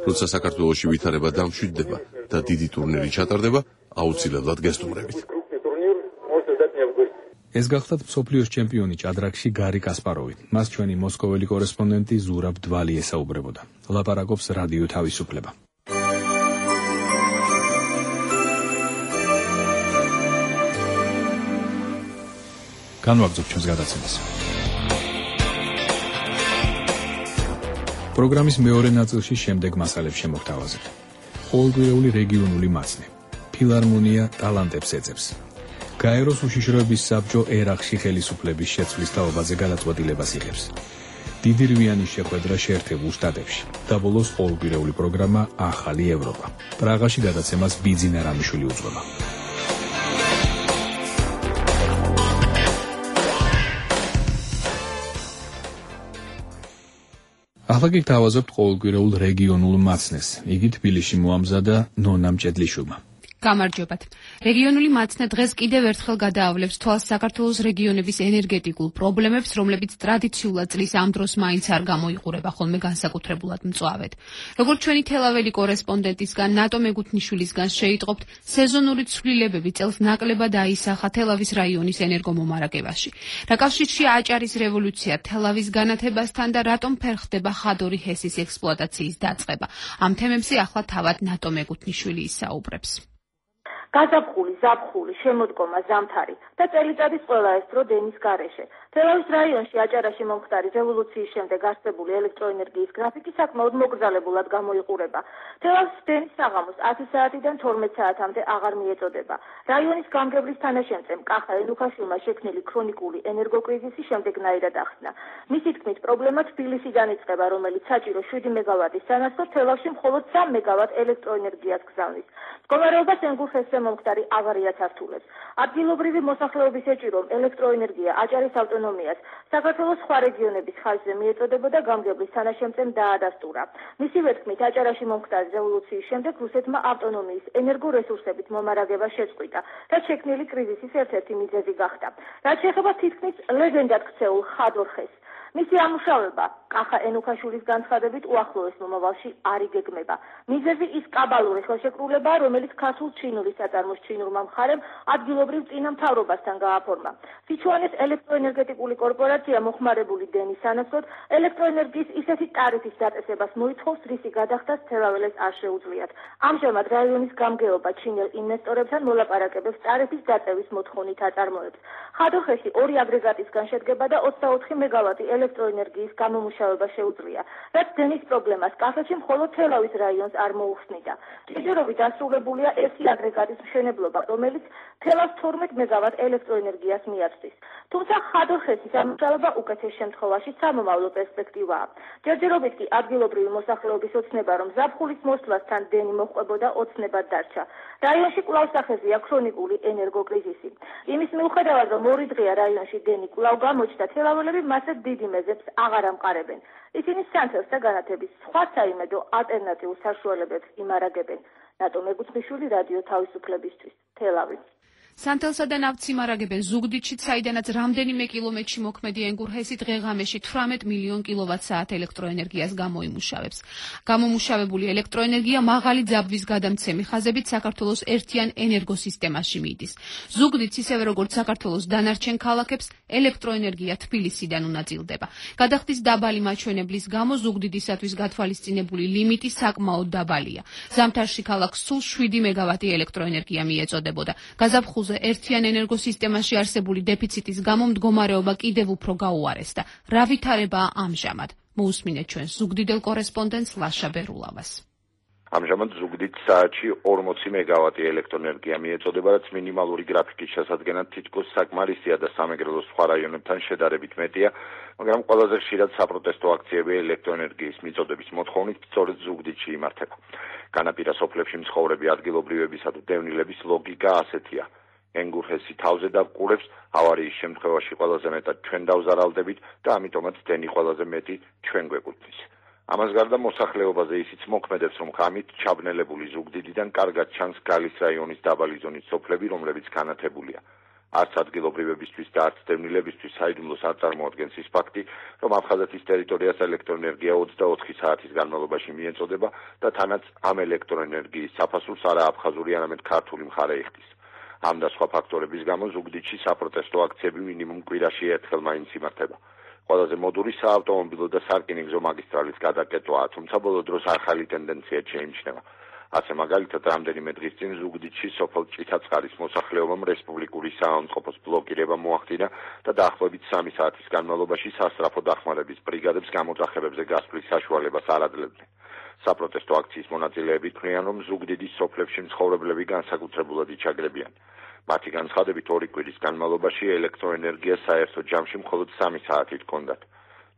როცა საქართველოში ვითარება დამშვიდდება და დიდი ტურნირი ჩატარდება, აუცილებლად გესტუმრებით. ეს გახლავთ მსოფლიოს ჩემპიონი ჭადრაკში გარი კასპაროვი. მას ჩვენი მოსკოველი კორესპონდენტი ზურაბ დვალი ესაუბრებოდა. ლაპარაკობს რადიო თავისუფლება. განვაგრძობ ჩვენს გადაცემას. პროგრამის მეორე ნაწილში შემდეგ მასალებს შემოგთავაზებთ. ყოველკვირეული რეგიონული მაცნე. ფილარმონია ტალანტებს ეძებს. გაეროს უშიშროების საბჭო ერაყში ხელისუფლების შეცვლის თაობაზე გადაწყვეტილებას იღებს. დიდი რვიანის შეხვედრა შეერთებულ შტატებში და ბოლოს ყოველკვირეული პროგრამა ახალი ევროპა. პრაღაში გადაცემას ბიძინა რამიშვილი უძღვება. ახლა კი გთავაზობთ ყოველკვირეულ რეგიონულ მაცნეს. იგი თბილისში მოამზადა ნონა მჭედლიშვილმა. გამარჯობათ. რეგიონული მაცნე დღეს კიდევ ერთხელ გადაავლებს თვალს საქართველოს რეგიონების ენერგეტიკულ პრობლემებს, რომლებიც ტრადიციულად წლის ამ დროს მაინც არ გამოიყურება ხოლმე განსაკუთრებულად მწვავედ. როგორც ჩვენი თელაველი კორესპონდენტისგან ნატო მეგუთნიშვილისგან შეიტყობთ, სეზონური ცვლილებები წელს ნაკლებად აისახა თელავის რაიონის ენერგომომარაგებაში. რა კავშირშია აჭარის რევოლუცია თელავის განათებასთან და რატომ ფერხდება ხადორი ჰესის ექსპლუატაციის დაწყება? ამ თემებზე ახლა თავად ნატო მეგუთნიშვილი ისაუბრებს. გაზაფხული, ზაფხული, შემოდგომა, ზამთარი და წელიწადის ყველა ეს დრო დენის გარეშე. თელავის რაიონში აჭარაში მომხდარი რევოლუციის შემდეგ არსებული ელექტროენერგიის გრაფიკი საკმაოდ მოკრძალებულად გამოიყურება. თელავის დენის საღამოს 10 საათიდან 12 საათამდე აღარ მიეწოდება. რაიონის გამგებლის თანაშემწემ კახა ენუქაშვილმა შექმნილი ქრონიკული ენერგოკრიზისი შემდეგნაირად ახსნა. მისი თქმით, პრობლემა თბილისიდან იწყება, რომელიც საჭირო 7 მეგავატის სანაცვლოდ თელავში მხოლოდ 3 მეგავატ ელექტროენერგიას გზავნის. მდგომარეობას ენგურხესზე მომხდარი ავარიაც ართულებს. ადგილობრივი მოსახლეობის ეჭირომ ელექტროენერგია აჭარის ავტონომიას საქართველოს სხვა რეგიონების ხარჯზე მიეწოდებოდა გამგებლის თანაშემწემ დაადასტურა. მისივე თქმით, აჭარაში მომხდარი რევოლუციის შემდეგ რუსეთმა ავტონომიის ენერგორესურსებით მომარაგება შეწყვიტა, რაც შექმნილი კრიზისის ერთ-ერთი მიზეზი გახდა. რაც შეეხება თითქმის ლეგენდად ქცეულ ხადორ ხეს. მისი ამუშავება კახა ენუქაშვილის განცხადებით უახლოეს მომავალში არ იგეგმება. მიზეზი ის კაბალური ხელშეკრულებაა, რომელიც ქართულ ჩინურის საწარმოს ჩინურმა მხარემ ადგილობრივ წინამთავრობასთან გააფორმა. სიჩუანეს ელექტროენერგეტიკული კორპორაცია მოხმარებული დენის სანაცვლოდ ელექტროენერგიის ისეთი ტარიფის დაწესებას მოითხოვს, რისი გადახდას თელაველეს არ შეუძლიათ. ამჟამად რაიონის გამგეობა ჩინელ ინვესტორებთან მოლაპარაკებებს ტარიფის დაწევის მოთხოვნით აწარმოებს. ხადორხეში 2 აგრეგატისგან შედგება და 24 მეგავატი ელექტროენერგიის გამომუშავება შეუძლია, რაც დენის პრობლემას კახეთში მხოლოდ თელავის რაიონს არ მოუხსნიდა. ჭიდრობით დასრულებულია 1 აგრეგატის მშენებლობა, რომელიც თელავს 12 მეგავატ ელექტროენერგიას მიაწვდის. თუმცა ხადორხესის ამუშავება უკეთეს შემთხვევაში სამომავლო პერსპექტივაა. ჯერჯერობით კი ადგილობრივი მოსახლეობის ოცნება, რომ ზაფხულის მოსვლასთან დენი მოჰყვებოდა, ოცნებად დარჩა. რაიონში კვლავ სახეზეა ქრონიკული ენერგოკრიზისი. იმის მიუხედავად, რომ 2 დღეა რაიონში დენი კვლავ გამოჩნდა, თელაველები მასზე დიდი მეზებს აღარ ამყარებენ. ისინი სანთელს და განათების სხვა საიმედო ალტერნატიულ საშუალებებს იმარაგებენ. ნატო მეგუცმიშვილი, რადიო თავისუფლებისთვის, თელავი. სანთელსა და ნავთს იმარაგებენ ზუგდიდში, საიდანაც რამდენიმე კილომეტრში მოქმედი ენგურჰესი დღე-ღამეში 18 მილიონ კილოვატ-საათ ელექტროენერგიას გამოიმუშავებს. გამომუშავებული ელექტროენერგია მაღალი ძაბვის გადამცემი ხაზებით საქართველოს ერთიან ენერგოსისტემაში მიდის. ზუგდიდს, ისევე როგორც საქართველოს დანარჩენ ქალაქებს, ელექტროენერგია თბილისიდან უნაწილდება. გადახდის დაბალი მაჩვენებლის გამო ზუგდიდისათვის გათვალისწინებული ლიმიტი საკმაოდ დაბალია. ზამთარში ქალაქს სულ 7 მეგავატი ელექტროენერგია მიეწოდებოდა. გაზაფხულზე ერთიან ენერგოსისტემაში არსებული დეფიციტის გამო მდგომარეობა კიდევ უფრო გაუარესდა. რა ვითარებაა ამჟამად? მოусმინეთ ჩვენს ზუგდიდელ კორესპონდენტს ლაშა ბერულავას. ამჟამად ზუგდიდ საათში 40 მეგავატი ელექტროენერგია მიეწოდება, რაც მინიმალური გრაფიკის შესადგენად თითქოს საკმარისია და სამეგრელოს სხვა რაიონებთან შედარებით მეტია, მაგრამ ყველაზე ხშირად საპროტესტო აქციები ელექტროენერგიის მიწოდების მოთხოვნით სწორედ ზუგდიდში იმართება. განაპირა სოფლებში მცხოვრები ადგილობრივებისა და დევნილების ლოგიკა ასეთია. ენგურჰესი თავზე დავყურებს, ავარიის შემთხვევაში ყველაზე მეტად ჩვენ დავზარალდებით და ამიტომაც დენი ყველაზე მეტი ჩვენ გვეკუთვნის. ამას გარდა მოსახლეობაზე ისიც მოქმედებს, რომ ღამით ჩაბნელებული ზუგდიდიდან კარგად ჩანს გალის რაიონის დაბალი ზონის სოფლები, რომლებიც განათებულია. არც ადგილობრივებისთვის და არც დევნილებისთვის საიდუმლოს არ წარმოადგენს ის ფაქტი, რომ აფხაზეთის ტერიტორიას ელექტროენერგია 24 საათის განმავლობაში მიეწოდება და თანაც ამ ელექტროენერგიის საფასურს არა აფხაზური, არამედ ქართული მხარე იხდის. ამ და სხვა ფაქტორების გამო ზუგდიდში საპროტესტო აქციები მინიმუმ კვირაში ერთხელ მაინც იმართება. ყველაზე მოდური საავტომობილო და სარკინიგზო მაგისტრალის გადაკეტვაა, თუმცა ბოლო დროს ახალი ტენდენცია შეიმჩნევა. ასე მაგალითად, რამდენიმე დღის წინ ზუგდიდში სოფელ ჭიცაწყარის მოსახლეობამ რესპუბლიკური საავადმყოფოს ბლოკირება მოახდინა და დაახლოებით 3 საათის განმავლობაში სასწრაფო დახმარების ბრიგადებს გამოძახებებზე გასვლის საშუალებას არ აძლევდნენ. საპროტესტო აქციის მონაწილეები თვლიან, რომ ზუგდიდის სოფლებში მცხოვრებლები განსაკუთრებულად იჩაგრებიან. მათი განცხადებით 2 კვირის განმავლობაში ელექტროენერგია საერთო ჯამში მხოლოდ 3 საათით ჰქონდათ.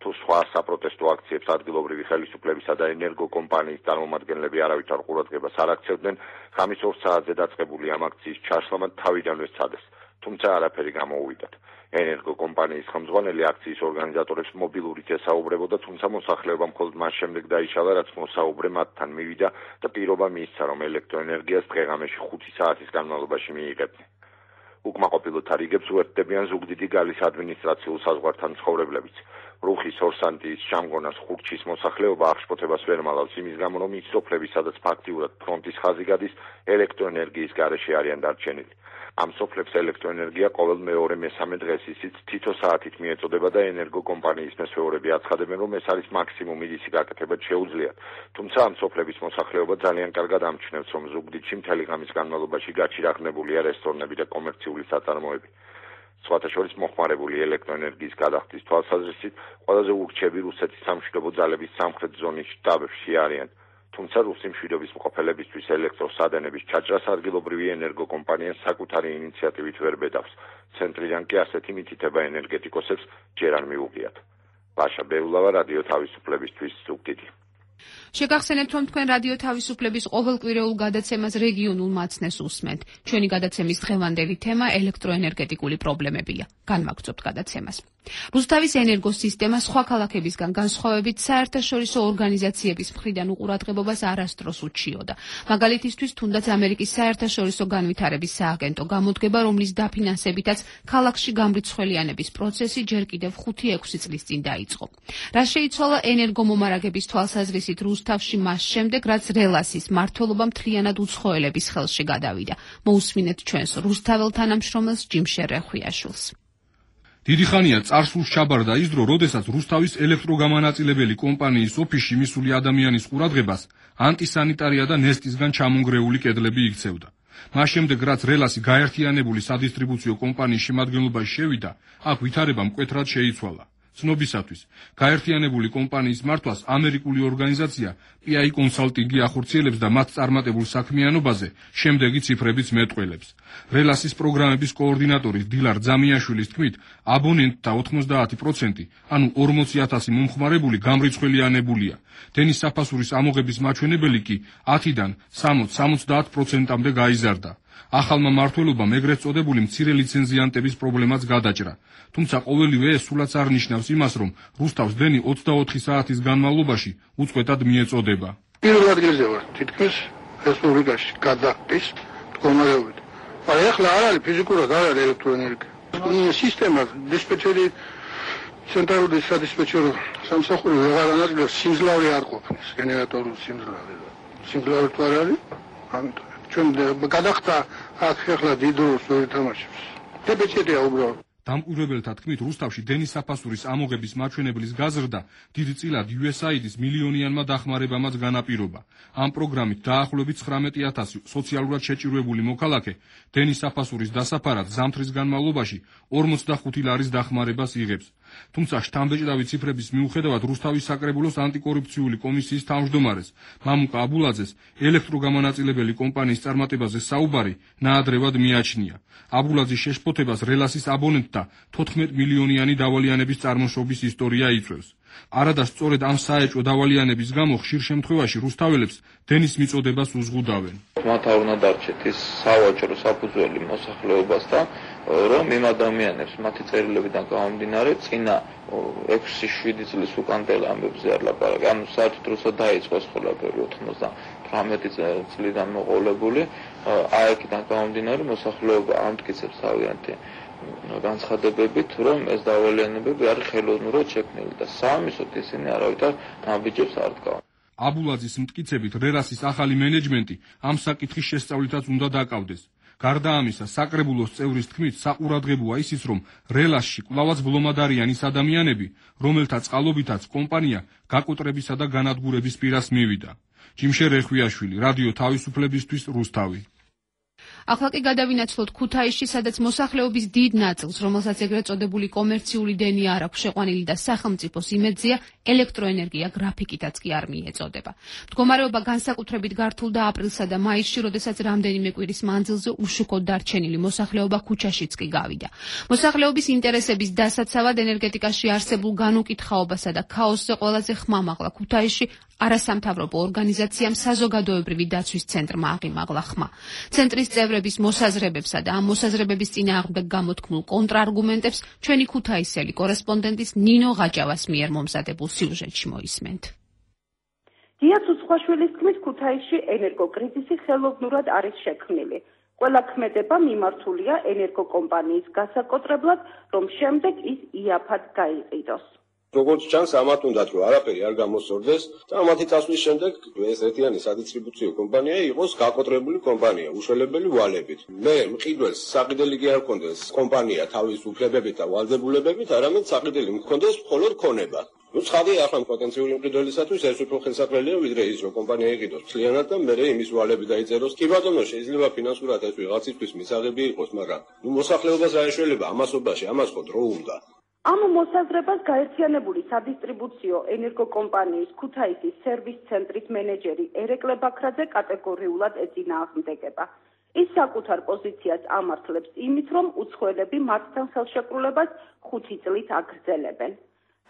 თუ სხვა საპროტესტო აქციებს ადგილობრივი ხელისუფლებისა და ენერგოკომპანიის წარმომადგენლები არავითარ ყურადღებას არ აქცევდნენ, ღამის 2 საათზე დაწყებული ამ აქციის ჩაშლამა თავიდანვე სცადეს, თუმცა არაფერი გამოუვიდათ. ენერგოკომპანიის ხელმძღვანელი აქციის ორგანიზატორებს მობილურით ესაუბრებოდა, თუმცა მოსახლეობა მხოლოდ მას შემდეგ დაიშალა, რაც მოსაუბრე მათთან მივიდა და პირობა მიისცა, რომ ელექტროენერგიას დღე-ღამეში 5 საათის განმავლობაში მიიღებდნენ. უკმაყოფილოთა რიგებს უერთდებიან ზუგდიდი გალის ადმინისტრაციულ საზღვართან მცხოვრებლებიც. რუხის, ორსანტიის, ჟამგონას, ხურჩის მოსახლეობა აღშფოთებას ვერ მალავს იმის გამო, რომ ის სოფლები, სადაც ფაქტიურად ფრონტის ხაზი გადის, ელექტროენერგიის გარეშე არიან დარჩენილი. ამ სოფლებს ელექტროენერგია ყოველ მეორე-მესამე დღეს ისიც თითო საათით მიეწოდება და ენერგოკომპანიის მესვეურები აცხადებენ, რომ ეს არის მაქსიმუმი, ისი გაკეთება შეუძლიათ. თუმცა ამ სოფლების მოსახლეობა ძალიან კარგად ამჩნევს, რომ ზუგდიდში მთელი ღამის განმავლობაში გაჩირაღნებულია რესტორნები და კომერციული საწარმოები. სხვათა შორის მოხმარებული ელექტროენერგიის გადახდის თვალსაზრისით ყველაზე ურჩები რუსეთის სამშვიდობო ძალების სამხრეთ ზონის შტაბებში არიან. თუმცა რუსი მშვიდობის მყოფელებისთვის ელექტროსადენების ჩაჭრას ადგილობრივი ენერგოკომპანია საკუთარი ინიციატივით ვერ ბედავს. ცენტრიდან კი ასეთი მითითება ენერგეტიკოსებს ჯერ არ მიუღიათ. ლაშა ბეულავა, რადიო თავისუფლებისთვის, ზუგდიდი. შეგახსენებთ, რომ თქვენ რადიო თავისუფლების ყოველკვირეულ გადაცემას რეგიონულ მაცნეს უსმენთ. ჩვენი გადაცემის დღევანდელი თემა ელექტროენერგეტიკული პრობლემებია. განვაგრძობთ გადაცემას. რუსთავის ენერგოსისტემა სხვა ქალაქებისგან განსხვავებით საერთაშორისო ორგანიზაციების მხრიდან უყურადღებობას არასდროს უჩიოდა. მაგალითისთვის, თუნდაც ამერიკის საერთაშორისო განვითარების სააგენტო გამოდგება, რომლის დაფინანსებითაც ქალაქში გამრიცხველიანების პროცესი ჯერ კიდევ 5-6 წლის წინ დაიწყო. რა შეიცვალა ენერგომომარაგების თვალსაზრისით რუსთავში მას შემდეგ, რაც რელასის მმართველობა მთლიანად უცხოელების ხელში გადავიდა. მოусმინეთ ჩვენს რუსთაველ თანამშრომელს ჯიმშერ რეხვიაშვილს. დიდი ხანია წარსულს ჩაბარდა ის დრო, როდესაც რუსთავის ელექტროგამანაწილებელი კომპანიის ოფისში მისული ადამიანის ყურადღებას ანტისანიტარია და ნესტისგან ჩამონგრეული კედლები იქცევდა. მას შემდეგ, რაც რელასი გაერთიანებული სადისტრიბუციო კომპანიის შემადგენლობაში შევიდა, აქ ვითარება მკვეთრად შეიცვალა. ცნობისათვის, გაერთიანებული კომპანიის მართვას ამერიკული ორგანიზაცია PI კონსალტინგი ახორციელებს და მათ წარმატებულ საქმიანობაზე შემდეგი ციფრებიც მეტყველებს. რელასის პროგრამების კოორდინატორის დილარ ძამიაშვილის თქმით, აბონენტთა 90%, ანუ 40,000 მომხმარებული გამრიცხველიანებულია. დენის საფასურის ამოღების მაჩვენებელი კი 10-დან 60-70%-მდე გაიზარდა. ახალმა მმართველობამ ეგრეთ წოდებული მცირე ლიცენზიანტების პრობლემაც გადაჭრა. თუმცა ყოველივე ეს სულაც არ ნიშნავს იმას, რომ რუსთავს დენი 24 საათის განმავლობაში უწყვეტად მიეწოდება. პირველ ადგილზე ვარ თითქმის რესპუბლიკაში გადახდის მდგომარეობით. მაგრამ ახლა არ არის ფიზიკურად არ არის ელექტროენერგია. სისტემა დისპეჩერი ცენტრალური სადისპეჩერო სამსახური ვეღარ ანაწილებს, სიმძლავრე არ ყოფნის, გენერატორული სიმძლავრე. სიმძლავრე თუ არ არის, ამიტომ ჩვენ გადახდა აქ ახლა დიდ როლს ეთამაშებს. დისპეჩერია უბრალოდ. დამკვირვებელთა თქმით, რუსთავში დენის საფასურის ამოღების მაჩვენებლის გაზრდა დიდწილად USAID-ის მილიონიანმა დახმარებამაც განაპირობა. ამ პროგრამით დაახლოებით 19,000 სოციალურად შეჭირვებული მოქალაქე დენის საფასურის დასაფარად ზამთრის განმავლობაში 45 ლარის დახმარებას იღებს. თუმცა შთამბეჭდავი ციფრების მიუხედავად რუსთავის საკრებულოს ანტიკორუფციული კომისიის თავმჯდომარეს მამუკა აბულაძეს ელექტროგამანაწილებელი კომპანიის წარმატებაზე საუბარი ნაადრევად მიაჩნია. აბულაძის შეშფოთებას რელასის აბონენტთა 14 მილიონიანი დავალიანების წარმოშობის ისტორია იწვევს. არადა სწორედ ამ საეჭვო დავალიანების გამო ხშირ შემთხვევაში რუსთაველებს დენის მიწოდებას უზღუდავენ. მათ არ უნდა დარჩეთ ის სავაჭრო საფუძველი მოსახლეობასთან, რომ იმ ადამიანებს მათი წერილებიდან გამომდინარე წინა 6-7 წლის უკანდელ ამბებზე არ ლაპარაკი. ანუ საერთოდ რუსა დაიწყოს ყველაფერი 98 წლიდან მოყოლებული, აიქიდან გამომდინარე მოსახლეობა ამტკიცებს თავიანთი განცხადებებით, რომ ეს დავალიანებები არის ხელოვნურად შექმნილი და სამისოთ ისინი არავითარ ნაბიჯებს არ დგავენ. აბულაძის მტკიცებით, რელასის ახალი მენეჯმენტი ამ საკითხის შესწავლითაც უნდა დაკავდეს. გარდა ამისა, საკრებულოს წევრის თქმით, საყურადღებოა ისიც, რომ რელასში კვლავაც ბლომად არიან ის ადამიანები, რომელთა წყალობითაც კომპანია გაკოტრებისა და განადგურების პირას მივიდა. ჯიმშერ რეხვიაშვილი, რადიო თავისუფლებისთვის, რუსთავი. ახლა კი გადავინაცვლოთ ქუთაისში, სადაც მოსახლეობის დიდ ნაწილს, რომელსაც ეგრეთ წოდებული კომერციული დენი არ აქვს შეყვანილი და სახელმწიფოს იმედზეა, ელექტროენერგია გრაფიკითაც კი არ მიეწოდება. მდგომარეობა განსაკუთრებით გართულდა აპრილსა და მაისში, როდესაც რამდენიმე კვირის მანძილზე უშუქოდ დარჩენილი მოსახლეობა ქუჩაშიც კი გავიდა. მოსახლეობის ინტერესების დასაცავად ენერგეტიკაში არსებულ განუკითხაობასა და ქაოსზე ყველაზე ხმამაღლა ქუთაისში არასამთავრობო ორგანიზაციამ საზოგადოებრივი დაცვის ცენტრმა აღიმაღლა ხმა. ცენტრის წევრების მოსაზრებებსა და ამ მოსაზრებების წინააღმდეგ გამოთქმულ კონტრარგუმენტებს ჩვენი ქუთაისელი კორესპონდენტის ნინო ღაჭავას მიერ მომზადებულ სიუჟეტში მოისმენთ. დია ცუცხვაშვილის თქმით, ქუთაისში ენერგოკრიზისი ხელოვნურად არის შექმნილი. ყველა ქმედება მიმართულია ენერგოკომპანიის გასაკოტრებლად, რომ შემდეგ ის იაფად გაიყიდოს. როგორც ჩანს, ამათ უნდათ რომ არაფერი არ გამოსწორდეს და მათი წასვლის შემდეგ ეს ერთიანი სადისტრიბუციო კომპანია იყოს გაკოტრებული კომპანია, უშველებელი ვალებით. მე მყიდველს საყიდელი კი არ მქონდეს კომპანია თავის უფლებებით და ვალდებულებებით, არამედ საყიდელი მქონდეს მხოლოდ ქონება. ცხადია, ახლა პოტენციური მყიდველისათვის ეს უფრო ხელსაყრელია, ვიდრე ის რომ კომპანია იყიდოს მთლიანად და მერე იმის ვალები დაიწეროს. კი ბატონო, შეიძლება ფინანსურად ეს ვიღაცისთვის მისაღები იყოს, მაგრამ მოსახლეობას რა ეშველება ამასობაში, ამას ხო დრო უნდა. ამ მოსაზრებას გაერთიანებული სადისტრიბუციო ენერგოკომპანიის ქუთაისის სერვის ცენტრის მენეჯერი ერეკლე ბაქრაძე კატეგორიულად ეწინააღმდეგება. ის საკუთარ პოზიციას ამართლებს იმით, რომ უცხოელები მათთან ხელშეკრულებას 5 წლით აგრძელებენ.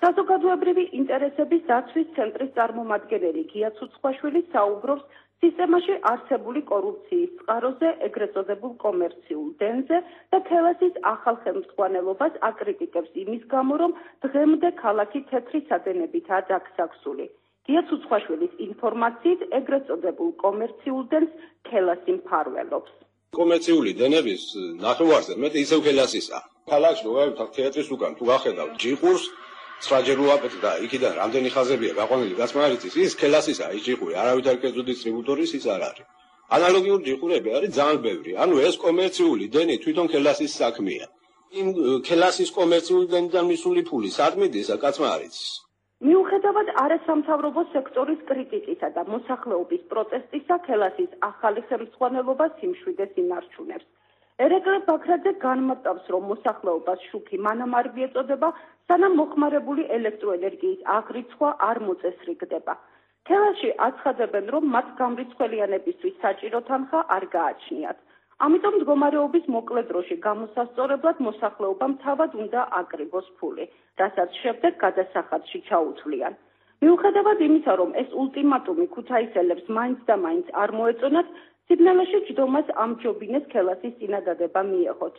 საზოგადოებრივი ინტერესების დაცვის ცენტრის წარმომადგენელი გია ცუცხვაშვილი საუბრობს სისტემაში არსებული კორუფციის წყაროზე, ეგრეთ წოდებულ კომერციულ დენზე და თელასის ახალ ხელმძღვანელობას აკრიტიკებს იმის გამო, რომ დღემდე ქალაქი თეთრი სადენებითაა დაგსაქსული. გია ცუცხვაშვილის ინფორმაციით, ეგრეთ წოდებულ კომერციულ დენს თელასი მფარველობს. კომერციული დენების ნახევარზე მეტი ისევ თელასისა. ქალაქში როა თეატრის უკან თუ გახედავ ჯიყურს 9 ჯერ უაპეთ და იქიდან რამდენი ხაზებია გაყვანილი გასმარიცის, ის თელასისა ის ჯიყური, არავითარ კერძო დისტრიბუტორის ის არ არის. ანალოგიური ჯიყურები არის ძალიან ბევრი. ანუ ეს კომერციული დენი თვითონ თელასის საქმეა. იმ თელასის კომერციული დენიდან მისული ფული სად მიდის, კაცმარიცის. მიუხედავად არასამთავრობო სექტორის კრიტიკისა და მოსახლეობის პროტესტისა, თელასის ახალი ხელმძღვანელობა სიმშვიდეს ინარჩუნებს. ერეკლე ბაქრაძე განმარტავს, რომ მოსახლეობას შუქი მანამ არ მიეწოდება, სანამ მოხმარებული ელექტროენერგიის აღრიცხვა არ მოწესრიგდება. თელასში აცხადებენ, რომ მათ გამრიცხველიანებისთვის საჭირო თანხა არ გააჩნიათ. ამიტომ მდგომარეობის მოკლე დროში გამოსასწორებლად მოსახლეობამ თავად უნდა აკრიბოს ფული, რასაც შემდეგ გადასახადში ჩაუთვლიან. მიუხედავად იმისა, რომ ეს ულტიმატუმი ქუთაისელებს მაინც და მაინც არ მოეწონათ, სიგნალში ჯდომას ამჯობინეს თელასის წინადადება მიეღოთ.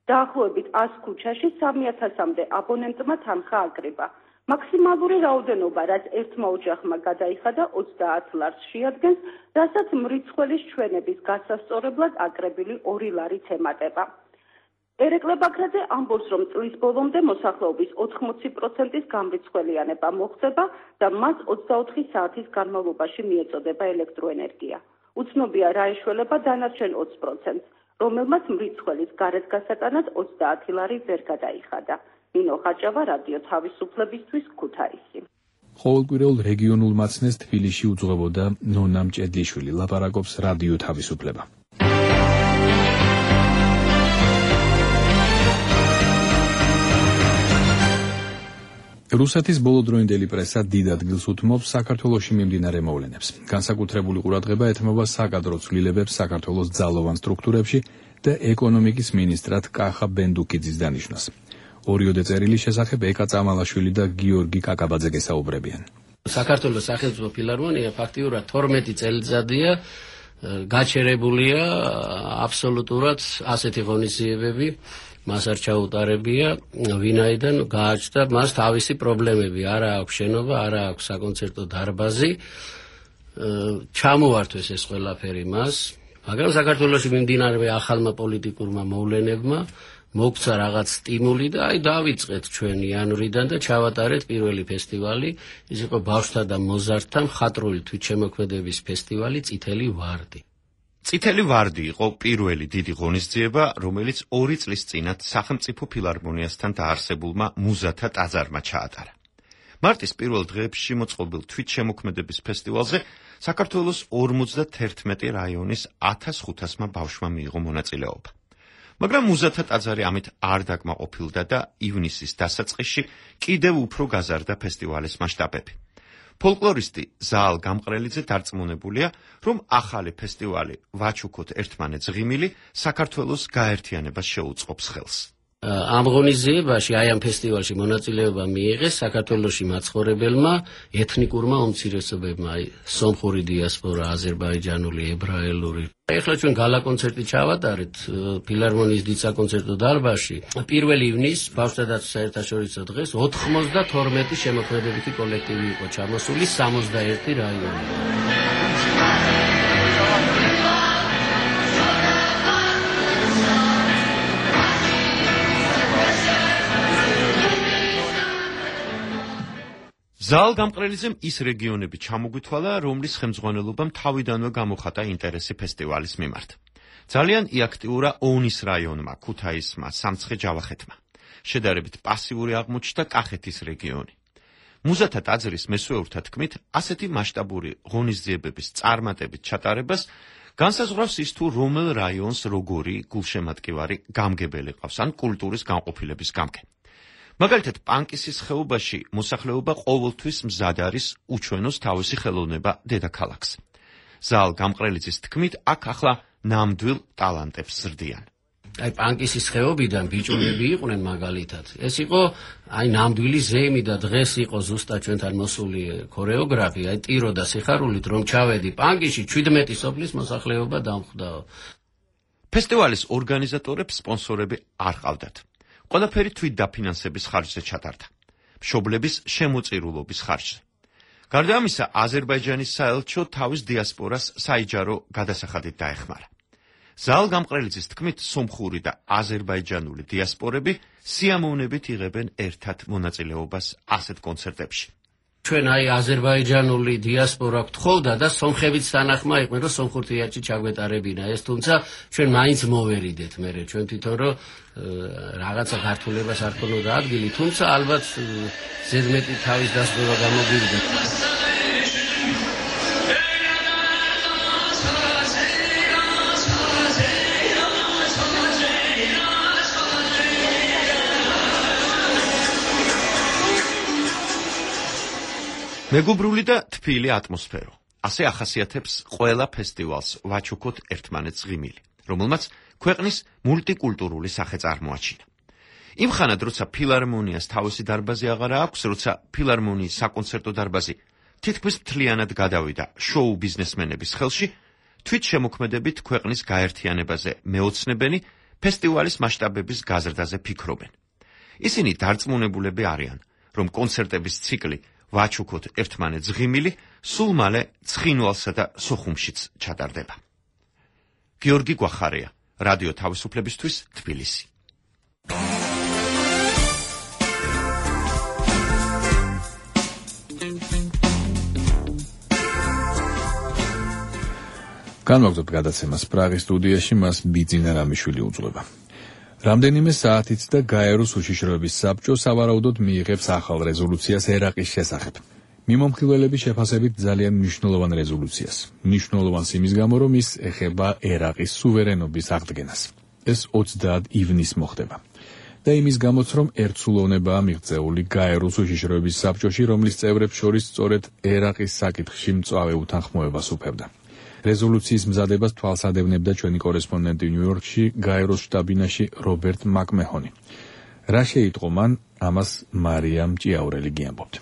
დაახლოებით 100 ქუჩაში 3000-მდე აბონენტმა თანხა აკრიბა. მაქსიმალური რაოდენობა, რაც ერთმა ოჯახმა გადაიხადა 30 ლარს შეადგენს, რასაც მრიცხველის ჩვენების გასასწორებლად აკრებილი 2 ლარიც ემატება. ერეკლე ბაქრაძე ამბობს, რომ წლის ბოლომდე მოსახლეობის 80%-ის გამრიცხველიანება მოხდება და მას 24 საათის განმავლობაში მიეწოდება ელექტროენერგია. უცნობია რა ეშველება დანარჩენ 20%-ს, რომელმაც მრიცხველის გარეთ გასატანად 30 ლარი ვერ გადაიხადა. ნინო ხაჭავა, რადიო თავისუფლებისთვის, ქუთაისი. ყოველკვირეულ რეგიონულ მაცნეს თბილისში უძღვებოდა ნონა მჭედლიშვილი, ლაპარაკობს რადიო თავისუფლება. რუსეთის ბოლოდროინდელი პრესა დიდ ადგილს უთმობს საქართველოში მიმდინარე მოვლენებს. განსაკუთრებული ყურადღება ეთმობა საკადრო ცვლილებებს საქართველოს ძალოვან სტრუქტურებში და ეკონომიკის მინისტრად კახა ბენდუკიძის დანიშვნას. ორიოდე წერილის შესახებ ეკა წამალაშვილი და გიორგი კაკაბაძე გესაუბრებიან. საქართველოს სახელმწიფო ფილარმონია ფაქტიურად 12 წელიწადია გაჩერებულია აბსოლუტურად ასეთი ღონისძიებები. მას არ ჩაუტარებია, ვინაიდან გააჩნდა მას თავისი პრობლემები, არა აქვს შენობა, არა აქვს საკონცერტო დარბაზი. ჩამოართვეს ეს ყველაფერი მას, მაგრამ საქართველოში მიმდინარე ახალმა პოლიტიკურმა მოვლენებმა მოგცა რაღაც სტიმული და აი დავიწყეთ ჩვენ იანვრიდან და ჩავატარეთ პირველი ფესტივალი, ის იყო ბავშვთა და მოზარდთა მხატვრული თვითშემოქმედების ფესტივალი წითელი ვარდი. წითელი ვარდი იყო პირველი დიდი ღონისძიება, რომელიც 2 წლის წინათ სახელმწიფო ფილარმონიასთან დაარსებულმა მუზათა ტაძარმა ჩაატარა. მარტის პირველ დღეებში მოწყობილ თვითშემოქმედების ფესტივალზე საქართველოს 51 რაიონის 1500-მა ბავშვმა მიიღო მონაწილეობა. მაგრამ მუზათა ტაძარი ამით არ დაკმაყოფილდა და ივნისის დასაწყისში კიდევ უფრო გაზარდა ფესტივალის მასშტაბები. ფოლკლორისტი ზაალ გამყრელიძე დარწმუნებულია, რომ ახალი ფესტივალი ვაჩუქოთ ერთმანეთს ღიმილი საქართველოს გაერთიანებას შეუწყობს ხელს. ამ ღონისძიებაში, აი ამ ფესტივალში მონაწილეობა მიიღეს საქართველოში მაცხოვრებელმა ეთნიკურმა უმცირესობებმა, სომხური დიასპორა, აზერბაიჯანული, ებრაელური. ეხლა ჩვენ გალა კონცერტი ჩავატარეთ ფილარმონიის დიდ საკონცერტო დარბაზში. 1 ივნისს ბავშვთა დაცვის საერთაშორისო დღეს 92 შემოქმედებითი კოლექტივი იყო ჩამოსული 61 რაიონიდან. ზაალ გამყრელიძემ ის რეგიონები ჩამოგვითვალა, რომლის ხელმძღვანელობამ თავიდანვე გამოხატა ინტერესი ფესტივალის მიმართ. ძალიან იაქტიურა ონის რაიონმა, ქუთაისმა, სამცხე-ჯავახეთმა. შედარებით პასიური აღმოჩნდა კახეთის რეგიონი. მუზათა ტაძრის მესვეურთა თქმით, ასეთი მასშტაბური ღონისძიებების წარმატებით ჩატარებას განსაზღვრავს ის თუ რომელ რაიონს როგორი გულშემატკივარი გამგებელი ყავს ან კულტურის განყოფილების გამგე. მაგალითად, პანკისის ხეობაში მოსახლეობა ყოველთვის მზად არის უჩვენოს თავისი ხელოვნება დედაქალაქს. ზაალ გამყრელიძის თქმით, აქ ახლა ნამდვილ ტალანტებს ზრდიან. აი პანკისის ხეობიდან ბიჭუნები იყვნენ მაგალითად. ეს იყო აი ნამდვილი ზეიმი და დღეს იყო ზუსტად ჩვენთან მოსული ქორეოგრაფი, აი ტირო და სიხარულით რომ ჩავედი პანკისში 17 სოფლის მოსახლეობა დამხვდაო. ფესტივალის ორგანიზატორებს სპონსორები არ ყავდათ. ყველაფერი თვით დაფინანსების ხარჯზე ჩატარდა. მშობლების შემოწირულობის ხარჯზე. გარდა ამისა, აზერბაიჯანის საელჩო თავის დიასპორას საიჯარო გადასახადით დაეხმარა. ზაალ გამყრელიძის თქმით, სომხური და აზერბაიჯანული დიასპორები სიამოვნებით იღებენ ერთად მონაწილეობას ასეთ კონცერტებში. ჩვენ აი აზერბაიჯანული დიასპორა გთხოვდა და სომხებიც თანახმა იყვნენ, რომ სომხურ თეატრში ჩაგვეტარებინა ეს, თუმცა ჩვენ მაინც მოვერიდეთ მერე, ჩვენ თვითონ რომ რაღაცა ქართულებას არ ქონოდა ადგილი, თუმცა ალბათ ზედმეტი თავის დასწრება გამოგვივიდა. მეგობრული და თბილი ატმოსფერო. ასე ახასიათებს ყველა ფესტივალს ვაჩუქოთ ერთმანეთს ღიმილი, რომელმაც ქვეყნის მულტიკულტურული სახე წარმოაჩინა. იმ ხანად, როცა ფილარმონიას თავისი დარბაზი აღარა აქვს, როცა ფილარმონიის საკონცერტო დარბაზი თითქმის მთლიანად გადავიდა შოუ ბიზნესმენების ხელში, თვით შემოქმედებით ქვეყნის გაერთიანებაზე მეოცნებენი ფესტივალის მასშტაბების გაზრდაზე ფიქრობენ. ისინი დარწმუნებულები არიან, რომ კონცერტების ციკლი ვაჩუქოთ ერთმანეთს ღიმილი, სულ მალე ცხინვალსა და სოხუმშიც ჩატარდება. გიორგი გვახარია, რადიო თავისუფლებისთვის, თბილისი. განვაგრძობთ გადაცემას პრაღის სტუდიაში, მას ბიძინა რამიშვილი უძღვება. რამდენიმე საათით და გაეროს უშიშროების საბჭო სავარაუდოდ მიიღებს ახალ რეზოლუციას ერაყის შესახებ. მიმომხილველების შეფასებით ძალიან მნიშვნელოვან რეზოლუციას. მნიშვნელოვანს იმის გამო, რომ ის ეხება ერაყის სუვერენობის აღდგენას. ეს 20 ივნისს მოხდება. და იმის გამოც, რომ ერთსულოვნებაა მიღწეული გაეროს უშიშროების საბჭოში, რომლის წევრებს შორის სწორედ ერაყის საკითხში მწვავე უთანხმოებას უფევდა. რეზოლუციის მზადებას თვალსადევნებდა ჩვენი კორესპონდენტი ნიუ-იორკში, გაეროს შტაბ-ბინაში რობერტ მაკმეჰონი. რა შეიტყო მან, ამას მარიამ ჭიაურელი გიამბობთ.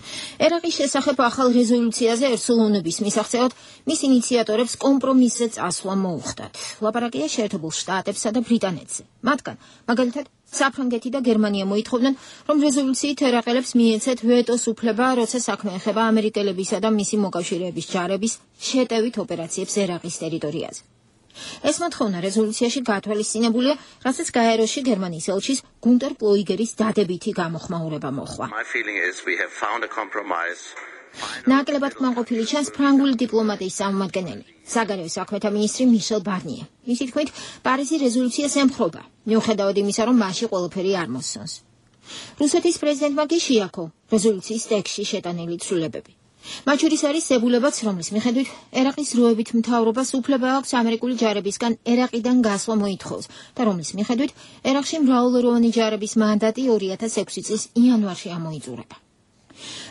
ერაყის შესახებ ახალ რეზოლუციაზე ერთსულოვნების მისაღწევად მის ინიციატორებს კომპრომისზე წასვლა მოუხდათ. ლაპარაკია შეერთებულ შტატებსა და ბრიტანეთზე. მათგან, მაგალითად, საფრანგეთი და გერმანია მოითხოვდნენ, რომ რეზოლუციით ერაყელებს მიეცეთ ვეტოს უფლება, როცა საქმე ეხება ამერიკელებისა და მისი მოკავშირეების ჯარების შეტევით ოპერაციებს ერაყის ტერიტორიაზე. ეს მოთხოვნა რეზოლუციაში გათვალისწინებულია, რასაც გაეროში გერმანიის ელჩის გუნტერ პლოიგერის დადებითი გამოხმაურება მოჰყვა. ნაკლებად კმაყოფილი ჩანს ფრანგული დიპლომატიის წარმომადგენელი, საგარეო საქმეთა მინისტრი მიშელ ბარნიე. მისი თქმით, პარიზი რეზოლუციას ემხრობა, მიუხედავად იმისა, რომ მასში ყველაფერი არ მოსწონს. რუსეთის პრეზიდენტმა კი შეაქო რეზოლუციის ტექსტში შეტანილი ცვლილებები. მათ შორის არის ებულებაც, რომლის მიხედვით ერაყის როებით მთავრობას უფლება აქვს ამერიკული ჯარებისგან ერაყიდან გასვლა მოითხოვს და რომლის მიხედვით ერაყში მრავალროვანი ჯარების მანდატი 2006 წლის იანვარში ამოიწურება.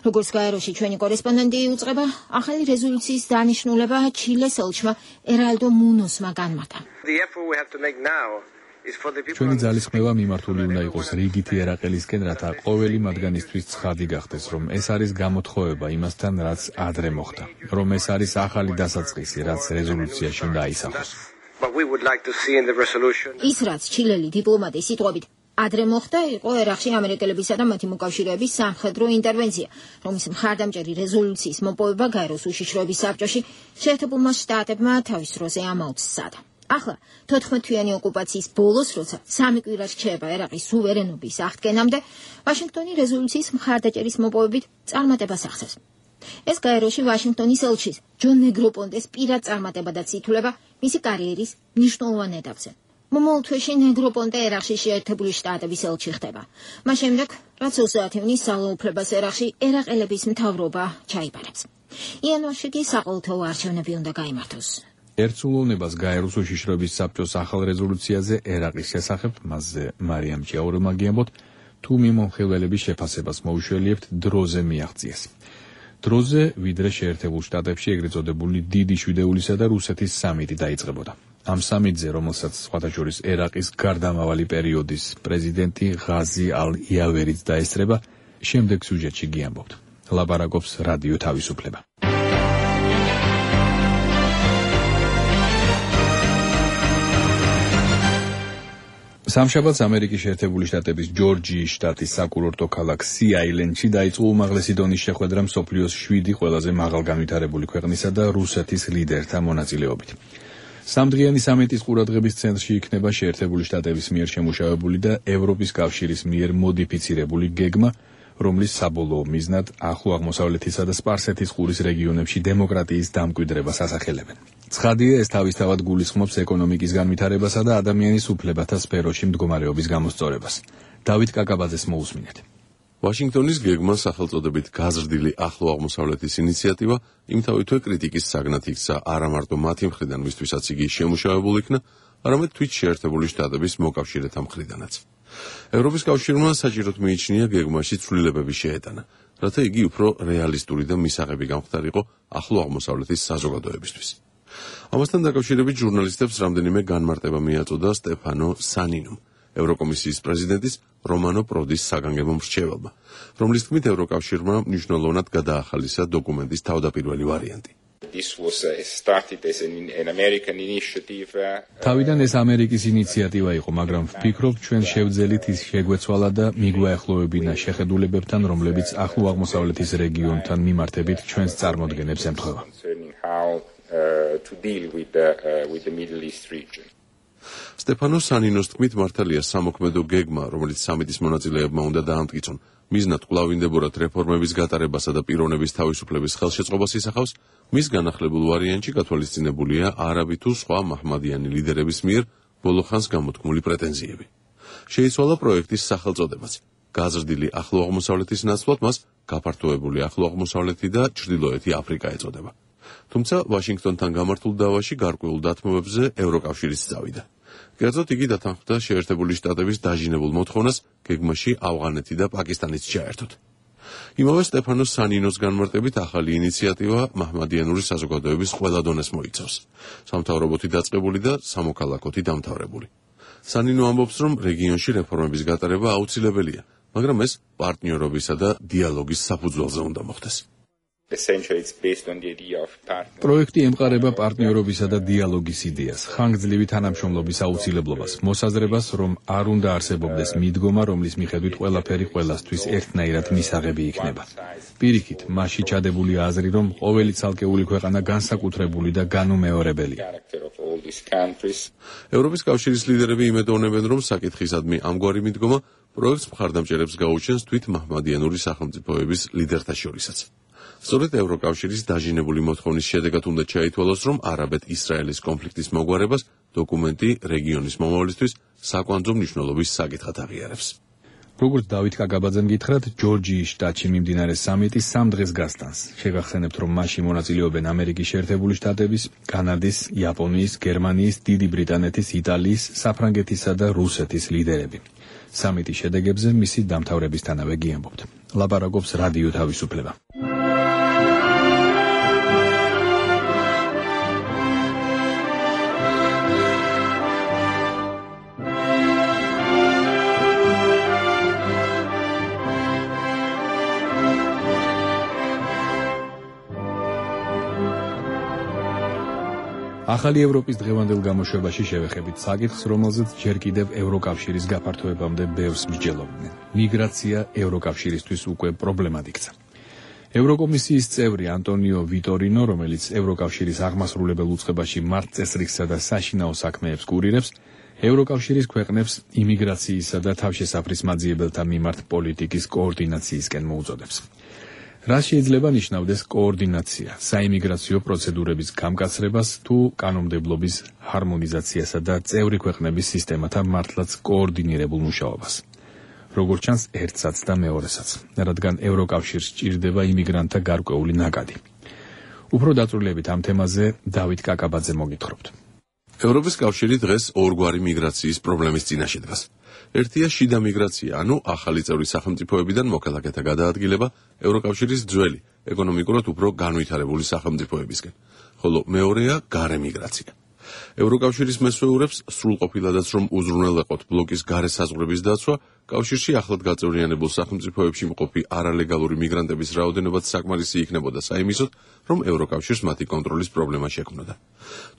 როგორც გაეროში ჩვენი კორესპონდენტი უწყება, ახალი რეზოლუციის დანიშნულება ჩილეს ელჩმა ერალდო მუნოსმა განმარტა. ჩვენი ძალისხმევა მიმართული უნდა იყოს რიგითი ერაყელისკენ, რათა ყოველი მათგანისთვის ცხადი გახდეს, რომ ეს არის გამოთხოვება იმასთან, რაც ადრე მოხდა, რომ ეს არის ახალი დასაწყისი, რაც რეზოლუციაში უნდა აისახოს. ის რაც ჩილელი დიპლომატის სიტყვებით ადრე მოხდა, იყო ერაყში ამერიკელებისა და მათი მოკავშირეების სამხედრო ინტერვენცია, რომლის მხარდამჭერი რეზოლუციის მოპოვება გაეროს უშიშროების საბჭოში შეერთებულმა შტატებმა თავის დროზე ამაოც სცადა. ახლა 14-თვიანი ოკუპაციის ბოლოს, როცა 3 კვირა რჩება ერაყის სუვერენობის აღდგენამდე, ვაშინგტონი რეზოლუციის მხარდაჭერის მოპოვებით წარმატებას ახდენს. ეს გაეროში ვაშინგტონის ელჩის ჯონ ნეგროპონტეს პირად წარმატებადაც ითვლება მისი კარიერის მნიშვნელოვან ეტაპზე. მომავალ თვეში ნეგროპონტე ერაყში შეერთებული შტატების ელჩი ხდება. მას შემდეგ, რაც 30 ივნის ძალაუფლებას ერაყში ერაყელების მთავრობა ჩაიბარებს. იანვარში კი საყოველთაო არჩევნები უნდა გაიმართოს. ერთსულოვნებას გაეროს უშიშროების საბჭოს ახალ რეზოლუციაზე ერაყის შესახებ, მასზე მარიამ ჭიაურმა გიამბოთ, თუ მიმომხილველების შეფასებას მოუშველიებთ, დროზე მიაღწიეს. დროზე, ვიდრე შეერთებულ შტატებში ეგრეთ წოდებული დიდი შვიდეულისა და რუსეთის სამიტი დაიწყებოდა. ამ სამიტზე, რომელსაც სხვათა შორის ერაყის გარდამავალი პერიოდის პრეზიდენტი ღაზი ალ-იავერიც დაესწრება, შემდეგ სიუჟეტში გიამბობთ. ლაპარაკობს რადიო თავისუფლება. სამშაბათს ამერიკის შეერთებული შტატების ჯორჯიის შტატის საკურორტო ქალაქ სი-აილენდში დაიწყო უმაღლესი დონის შეხვედრა მსოფლიოს 7 ყველაზე მაღალგანვითარებული ქვეყნისა და რუსეთის ლიდერთა მონაწილეობით. სამდღიანი სამიტის ყურადღების ცენტრში იქნება შეერთებული შტატების მიერ შემუშავებული და ევროპის კავშირის მიერ მოდიფიცირებული გეგმა, რომლის საბოლოო მიზნად ახლო აღმოსავლეთისა და სპარსეთის ყურის რეგიონებში დემოკრატიის დამკვიდრებას ასახელებენ. ცხადია, ეს თავისთავად გულისხმობს ეკონომიკის განვითარებასა და ადამიანის უფლებათა სფეროში მდგომარეობის გამოსწორებას. დავით კაკაბაძეს მოусმინეთ. ვაშინგტონის გეგმა სახელწოდებით გაზრდილი ახლო აღმოსავლეთის ინიციატივა იმთავითვე კრიტიკის საგნად იქცა არა მარტო მათი მხრიდან, მისთვისაც იგი შემუშავებული იქნა, არამედ თვით შეერთებული შტატების მოკავშირეთა მხრიდანაც. ევროპის კავშირმა საჭიროდ მიიჩნია გეგმაში ცვლილებები შეეტანა, რათა იგი უფრო რეალისტური და მისაღები გამხდარიყო ახლო აღმოსავლეთის საზოგადოებისთვის. ამასთან დაკავშირებით ჟურნალისტებს რამდენიმე განმარტება მიაწოდა სტეფანო სანინომ, ევროკომისიის პრეზიდენტის რომანო პროდის საგანგებო მრჩეველმა, რომლის თქმით ევროკავშირმა მნიშვნელოვნად გადაახალისა დოკუმენტის თავდაპირველი ვარიანტი. თავიდან ეს ამერიკის ინიციატივა იყო, მაგრამ ვფიქრობ, ჩვენ შევძელით ის შეგვეცვალა და მიგვაეხლოვებინა შეხედულებებთან, რომლებიც ახლო აღმოსავლეთის რეგიონთან მიმართებით ჩვენს წარმოდგენებს ემთხვევა. სტეფანო სანინოს თქმით, მართალია სამოქმედო გეგმა, რომელიც სამიტის მონაწილეებმა უნდა დაამტკიცონ, მიზნად კვლავინდებურად რეფორმების გატარებასა და პიროვნების თავისუფლების ხელშეწყობას ისახავს, მის განახლებულ ვარიანტში გათვალისწინებულია არაბი თუ სხვა მაჰმადიანი ლიდერების მიერ ბოლო ხანს გამოთქმული პრეტენზიები. შეიცვალა პროექტის სახელწოდებაც. გაზრდილი ახლო აღმოსავლეთის ნაცვლად მას გაფართოებული ახლო აღმოსავლეთი და ჩრდილოეთი აფრიკა ეწოდება. თუმცა ვაშინგტონთან გამართულ დავაში გარკვეულ დათმობებზე ევროკავშირიც წავიდა. კერძოდ იგი დათანხმდა შეერთებული შტატების დაჟინებულ მოთხოვნას გეგმაში ავღანეთი და პაკისტანიც ჩაერთოთ. იმავე სტეფანო სანინოს განმარტებით ახალი ინიციატივა მაჰმადიანური საზოგადოების ყველა დონეს მოიცავს. სამთავრობოთი დაწყებული და სამოქალაქოთი დამთავრებული. სანინო ამბობს, რომ რეგიონში რეფორმების გატარება აუცილებელია, მაგრამ ეს პარტნიორობისა და დიალოგის საფუძველზე უნდა მოხდეს. პროექტი ემყარება პარტნიორობისა და დიალოგის იდეას, ხანგრძლივი თანამშრომლობის აუცილებლობას, მოსაზრებას, რომ არ უნდა არსებობდეს მიდგომა, რომლის მიხედვით ყველაფერი ყველასთვის ერთნაირად მისაღები იქნება. პირიქით, მასში ჩადებული აზრი, რომ ყოველი ცალკეული ქვეყანა განსაკუთრებული და განუმეორებელია. ევროპის კავშირის ლიდერები იმედოვნებენ, რომ საკითხისადმი ამგვარი მიდგომა პროექტს მხარდამჭერებს გაუჩენს თვით მაჰმადიანური სახელმწიფოების ლიდერთა შორისაც. სწორედ ევროკავშირის დაჟინებული მოთხოვნის შედეგად უნდა ჩაითვალოს, რომ არაბეთ-ისრაელის კონფლიქტის მოგვარებას დოკუმენტი რეგიონის მომავლისთვის საკვანძო მნიშვნელობის საკითხად აღიარებს. როგორც დავით კაკაბაძემ გითხრათ, ჯორჯიის შტატში მიმდინარე სამიტი 3 დღეს გასტანს. შეგახსენებთ, რომ მასში მონაწილეობენ ამერიკის შეერთებული შტატების, კანადის, იაპონიის, გერმანიის, დიდი ბრიტანეთის, იტალიის, საფრანგეთისა და რუსეთის ლიდერები. სამიტის შედეგებზე მისი დამთავრებისთანავე გიამბობთ. ლაპარაკობს რადიო თავისუფლება. ახალი ევროპის დღევანდელ გამოშვებაში შევეხებით საკითხს, რომელზეც ჯერ კიდევ ევროკავშირის გაფართოებამდე ბევრს მსჯელობდნენ. მიგრაცია ევროკავშირისთვის უკვე პრობლემად იქცა. ევროკომისიის წევრი ანტონიო ვიტორინო, რომელიც ევროკავშირის აღმასრულებელ უწყებაში მართლწესრიგსა და საშინაო საქმეებს კურირებს, ევროკავშირის ქვეყნებს იმიგრაციისა და თავშესაფრის მაძიებელთა მიმართ პოლიტიკის კოორდინაციისკენ მოუწოდებს. რა შეიძლება ნიშნავდეს კოორდინაცია, საიმიგრაციო პროცედურების გამკაცრებას თუ კანონმდებლობის ჰარმონიზაციასა და წევრი ქვეყნების სისტემათა მართლაც კოორდინირებულ მუშაობას. როგორც ჩანს, ერთსაც და მეორესაც, რადგან ევროკავშირს სჭირდება იმიგრანტთა გარკვეული ნაკადი. უფრო დაწვრილებით ამ თემაზე დავით კაკაბაძე მოგითხრობთ. ევროპის კავშირი დღეს ორგვარი მიგრაციის პრობლემის წინაშე დგას. ერთია შიდა მიგრაცია, ანუ ახალი წევრი სახელმწიფოებიდან მოქალაქეთა გადაადგილება ევროკავშირის ძველი, ეკონომიკურად უფრო განვითარებული სახელმწიფოებისკენ, ხოლო მეორეა გარე მიგრაცია. ევროკავშირის მესვეურებს სრულყოფილადაც რომ უზრუნველეყოთ ბლოკის გარე საზღვრების დაცვა, კავშირში ახლად გაწევრიანებულ სახელმწიფოებში მყოფი არალეგალური მიგრანტების რაოდენობაც საკმარისი იქნებოდა საიმისოდ, რომ ევროკავშირს მათი კონტროლის პრობლემა შექმნოდა.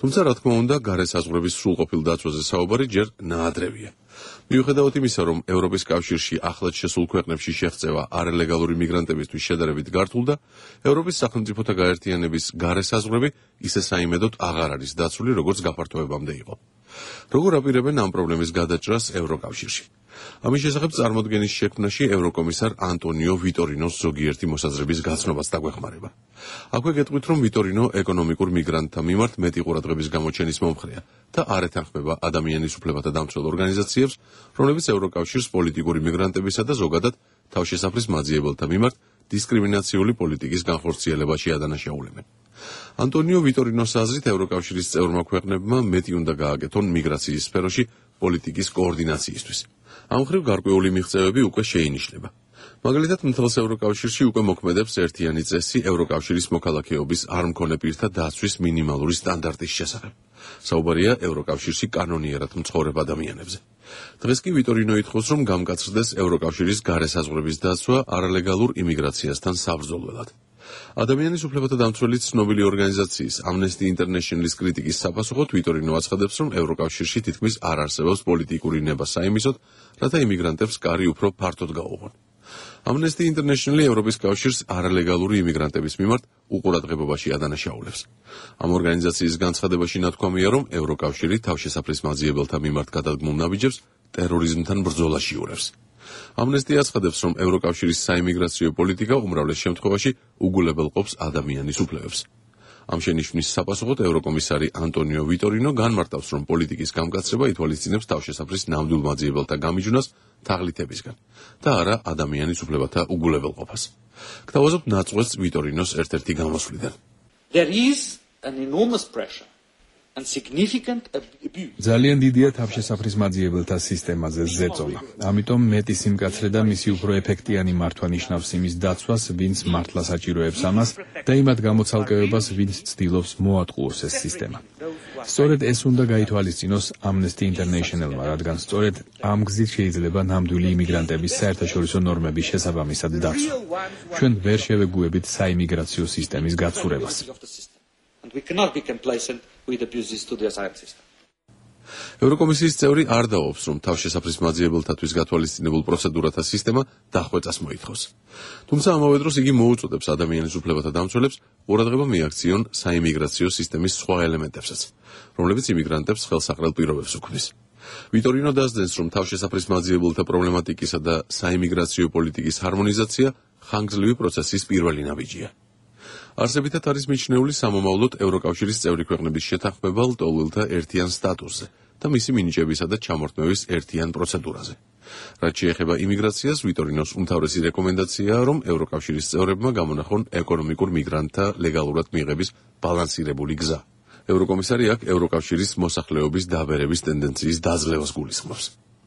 თუმცა, რა თქმა უნდა, გარე საზღვრების სრულყოფილ დაცვაზე საუბარი ჯერ ნაადრევია. მიუხედავად იმისა, რომ ევროპის კავშირში ახლად შესულ ქვეყნებში შეღწევა არალეგალური მიგრანტებისთვის შედარებით გართულდა, ევროპის სახელმწიფოთა გაერთიანების გარე საზღვრები ისე საიმედოდ აღარ არის დაცული, როგორც გაფართოებამდე იყო. როგორ აპირებენ ამ პრობლემის გადაჭრას ევროკავშირში? ამის შესახებ წარმოდგენის შექმნაში ევროკომისარ ანტონიო ვიტორინოს ზოგიერთი მოსაზრების გაცნობას დაგვეხმარება. აქვე გეტყვით, რომ ვიტორინო ეკონომიკურ მიგრანტთა მიმართ მეტი ყურადღების გამოჩენის მომხრეა და არ ეთანხმება ადამიანის უფლებათა დამცველ ორგანიზაციებს, რომლებიც ევროკავშირს პოლიტიკური მიგრანტებისა და ზოგადად თავშესაფრის მაძიებელთა მიმართ დისკრიმინაციული პოლიტიკის განხორციელებაში ადანაშაულებენ. ანტონიო ვიტორინოს აზრით, ევროკავშირის წევრმა ქვეყნებმა მეტი უნდა გააკეთონ მიგრაციის სფეროში პოლიტიკის კოორდინაციისთვის. ამ მხრივ გარკვეული მიღწევები უკვე შეინიშნება. მაგალითად, მთელს ევროკავშირში უკვე მოქმედებს ერთიანი წესი ევროკავშირის მოქალაქეობის არ მქონე პირთა დაცვის მინიმალური სტანდარტის შესახებ. საუბარია ევროკავშირში კანონიერად მცხოვრებ ადამიანებზე. დღეს კი ვიტორინო ითხოვს, რომ გამკაცრდეს ევროკავშირის გარე საზღვრების დაცვა არალეგალურ იმიგრაციასთან საბრძოლველად. ადამიანის უფლებათა დამცველი ცნობილი ორგანიზაციის Amnesty International-ის კრიტიკის საპასუხოდ ვიტორინო აცხადებს, რომ ევროკავშირში თითქმის არ არსებობს პოლიტიკური ნება საიმისოდ, რათა იმიგრანტებს კარი უფრო ფართოდ გაუღონ. Amnesty International ევროპის კავშირს არალეგალური იმიგრანტების მიმართ უყურადღებობაში ადანაშაულებს. ამ ორგანიზაციის განცხადებაში ნათქვამია, რომ ევროკავშირი თავშესაფრის მაძიებელთა მიმართ გადადგმულ ნაბიჯებს ტერორიზმთან ბრძოლაში ურევს. Amnesty აცხადებს, რომ ევროკავშირის საიმიგრაციო პოლიტიკა უმრავლეს შემთხვევაში უგულებელყოფს ადამიანის უფლებებს. ამ შენიშვნის საპასუხოდ ევროკომისარი ანტონიო ვიტორინო განმარტავს, რომ პოლიტიკის გამკაცრება ითვალისწინებს თავშესაფრის ნამდვილ მაძიებელთა გამიჯვნას თაღლითებისგან და არა ადამიანის უფლებათა უგულებელყოფას. გთავაზობთ ნაწყვეტს ვიტორინოს ერთ-ერთი გამოსვლიდან. There is an enormous pressure and significant abuse. ძალიან დიდია თავშესაფრის მაძიებელთა სისტემაზე ზეწოლა. ამიტომ მეტი სიმკაცრე და მისი უფრო ეფექტიანი მართვა ნიშნავს იმის დაცვას, ვინც მართლა საჭიროებს ამას და იმათ გამოცალკევებას, ვინც ცდილობს მოატყუოს ეს სისტემა. სწორედ ეს უნდა გაითვალისწინოს Amnesty International-მა, რადგან სწორედ ამ გზით შეიძლება ნამდვილი იმიგრანტების საერთაშორისო ნორმების შესაბამისად დაცვა. ჩვენ ვერ შევეგუებით საიმიგრაციო სისტემის გაცურებას. And we cannot be complacent with abuses to the asylum system. ევროკომისიის წევრი არ დაობს, რომ თავშესაფრის მაძიებელთათვის გათვალისწინებულ პროცედურათა სისტემა დახვეწას მოითხოვს. თუმცა ამავე დროს იგი მოუწოდებს ადამიანის უფლებათა დამცველებს ყურადღება მიაქციონ საიმიგრაციო სისტემის სხვა ელემენტებსაც, რომლებიც იმიგრანტებს ხელსაყრელ პირობებს უქმნის. ვიტორინო დასძენს, რომ თავშესაფრის მაძიებელთა პრობლემატიკისა და საიმიგრაციო პოლიტიკის ჰარმონიზაცია ხანგრძლივი პროცესის პირველი ნაბიჯია. არსებითად არის მიჩნეული სამომავლოდ ევროკავშირის წევრი ქვეყნების შეთანხმება ლტოლვილთა ერთიან სტატუსზე და მისი მინიჭებისა და ჩამორთმევის ერთიან პროცედურაზე. რაც შეეხება იმიგრაციას, ვიტორინოს უმთავრესი რეკომენდაციაა, რომ ევროკავშირის წევრებმა გამონახონ ეკონომიკურ მიგრანტთა ლეგალურად მიღების ბალანსირებული გზა. ევროკომისარი აქ ევროკავშირის მოსახლეობის დაბერების ტენდენციის დაძლევას გულისხმობს.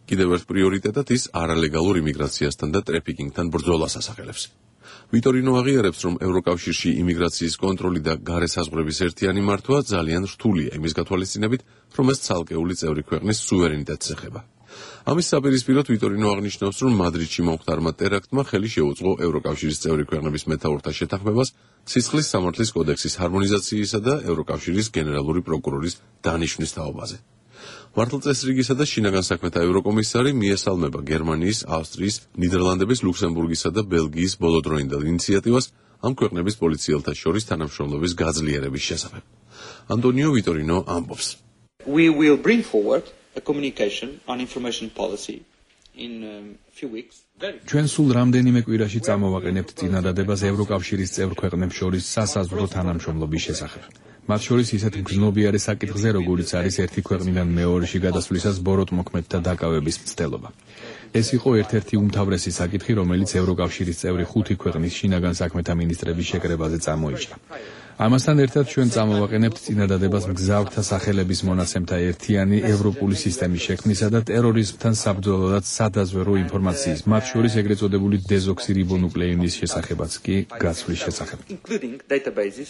კიდევ ერთ პრიორიტეტად ის არალეგალურ იმიგრაციასთან და ტრეფიკინგთან ბრძოლას ასახელებს. ვიტორინო აღიარებს, რომ ევროკავშირში იმიგრაციის კონტროლი და გარე საზღვრების ერთიანი მართვა ძალიან რთულია იმის გათვალისწინებით, რომ ეს ცალკეული წევრი ქვეყნის სუვერენიტეტს ეხება. ამის საპირისპიროდ ვიტორინო აღნიშნავს, რომ მადრიდში მომხდარმა ტერაქტმა ხელი შეუწყო ევროკავშირის წევრი ქვეყნების მეთაურთა შეთანხმებას სისხლის სამართლის კოდექსის ჰარმონიზაციისა და ევროკავშირის გენერალური პროკურორის დანიშვნის თაობაზე. მართლწესრიგისა და შინაგან საქმეთა ევროკომისარი მიესალმება გერმანიის, ავსტრიის, ნიდერლანდების, ლუქსემბურგისა და ბელგიის ბოლოდროინდელ ინიციატივას ამ ქვეყნების პოლიციელთა შორის თანამშრომლობის გაძლიერების შესახებ. Antonio Vitorino ამბობს. We will bring forward a communication on information policy in a few weeks. ჩვენ სულ რამდენიმე კვირაში წამოვაყენებთ წინადადებას ევროკავშირის წევრ ქვეყნებს შორის სასაზღვრო თანამშრომლობის შესახებ. მათ შორის ისეთ მგრძნობიარე საკითხზე, როგორიც არის ერთი ქვეყნიდან მეორეში გადასვლისას ბოროტმოქმედთა დაკავების მცდელობა. ეს იყო ერთ-ერთი უმთავრესი საკითხი, რომელიც ევროკავშირის წევრი 5 ქვეყნის შინაგან საქმეთა მინისტრების შეკრებაზე წამოიჭრა. ამასთან ერთად ჩვენ წამოვაყენებთ წინადადებას მგზავრთა სახელების მონაცემთა ერთიანი ევროპული სისტემის შექმნისა და ტერორიზმთან საბრძოლოდ სადაზვერვო ინფორმაციის, მათ შორის ეგრეთ წოდებული დეზოქსირიბონუკლეინის შესახებაც კი გაცვლის შესახებ. Including databases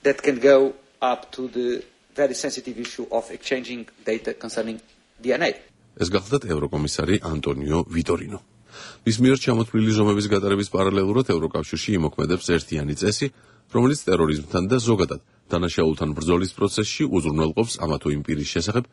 that can go up to the very sensitive issue of exchanging data concerning DNA. ეს გახლდათ ევროკომისარი ანტონიო ვიტორინო. მის მიერ ჩამოთვლილი ზომების გატარების პარალელურად ევროკავშირში იმოქმედებს ერთიანი წესი, რომელიც ტერორიზმთან და ზოგადად დანაშაულთან ბრძოლის პროცესში უზრუნველყოფს ამა თუ იმ პირის შესახებ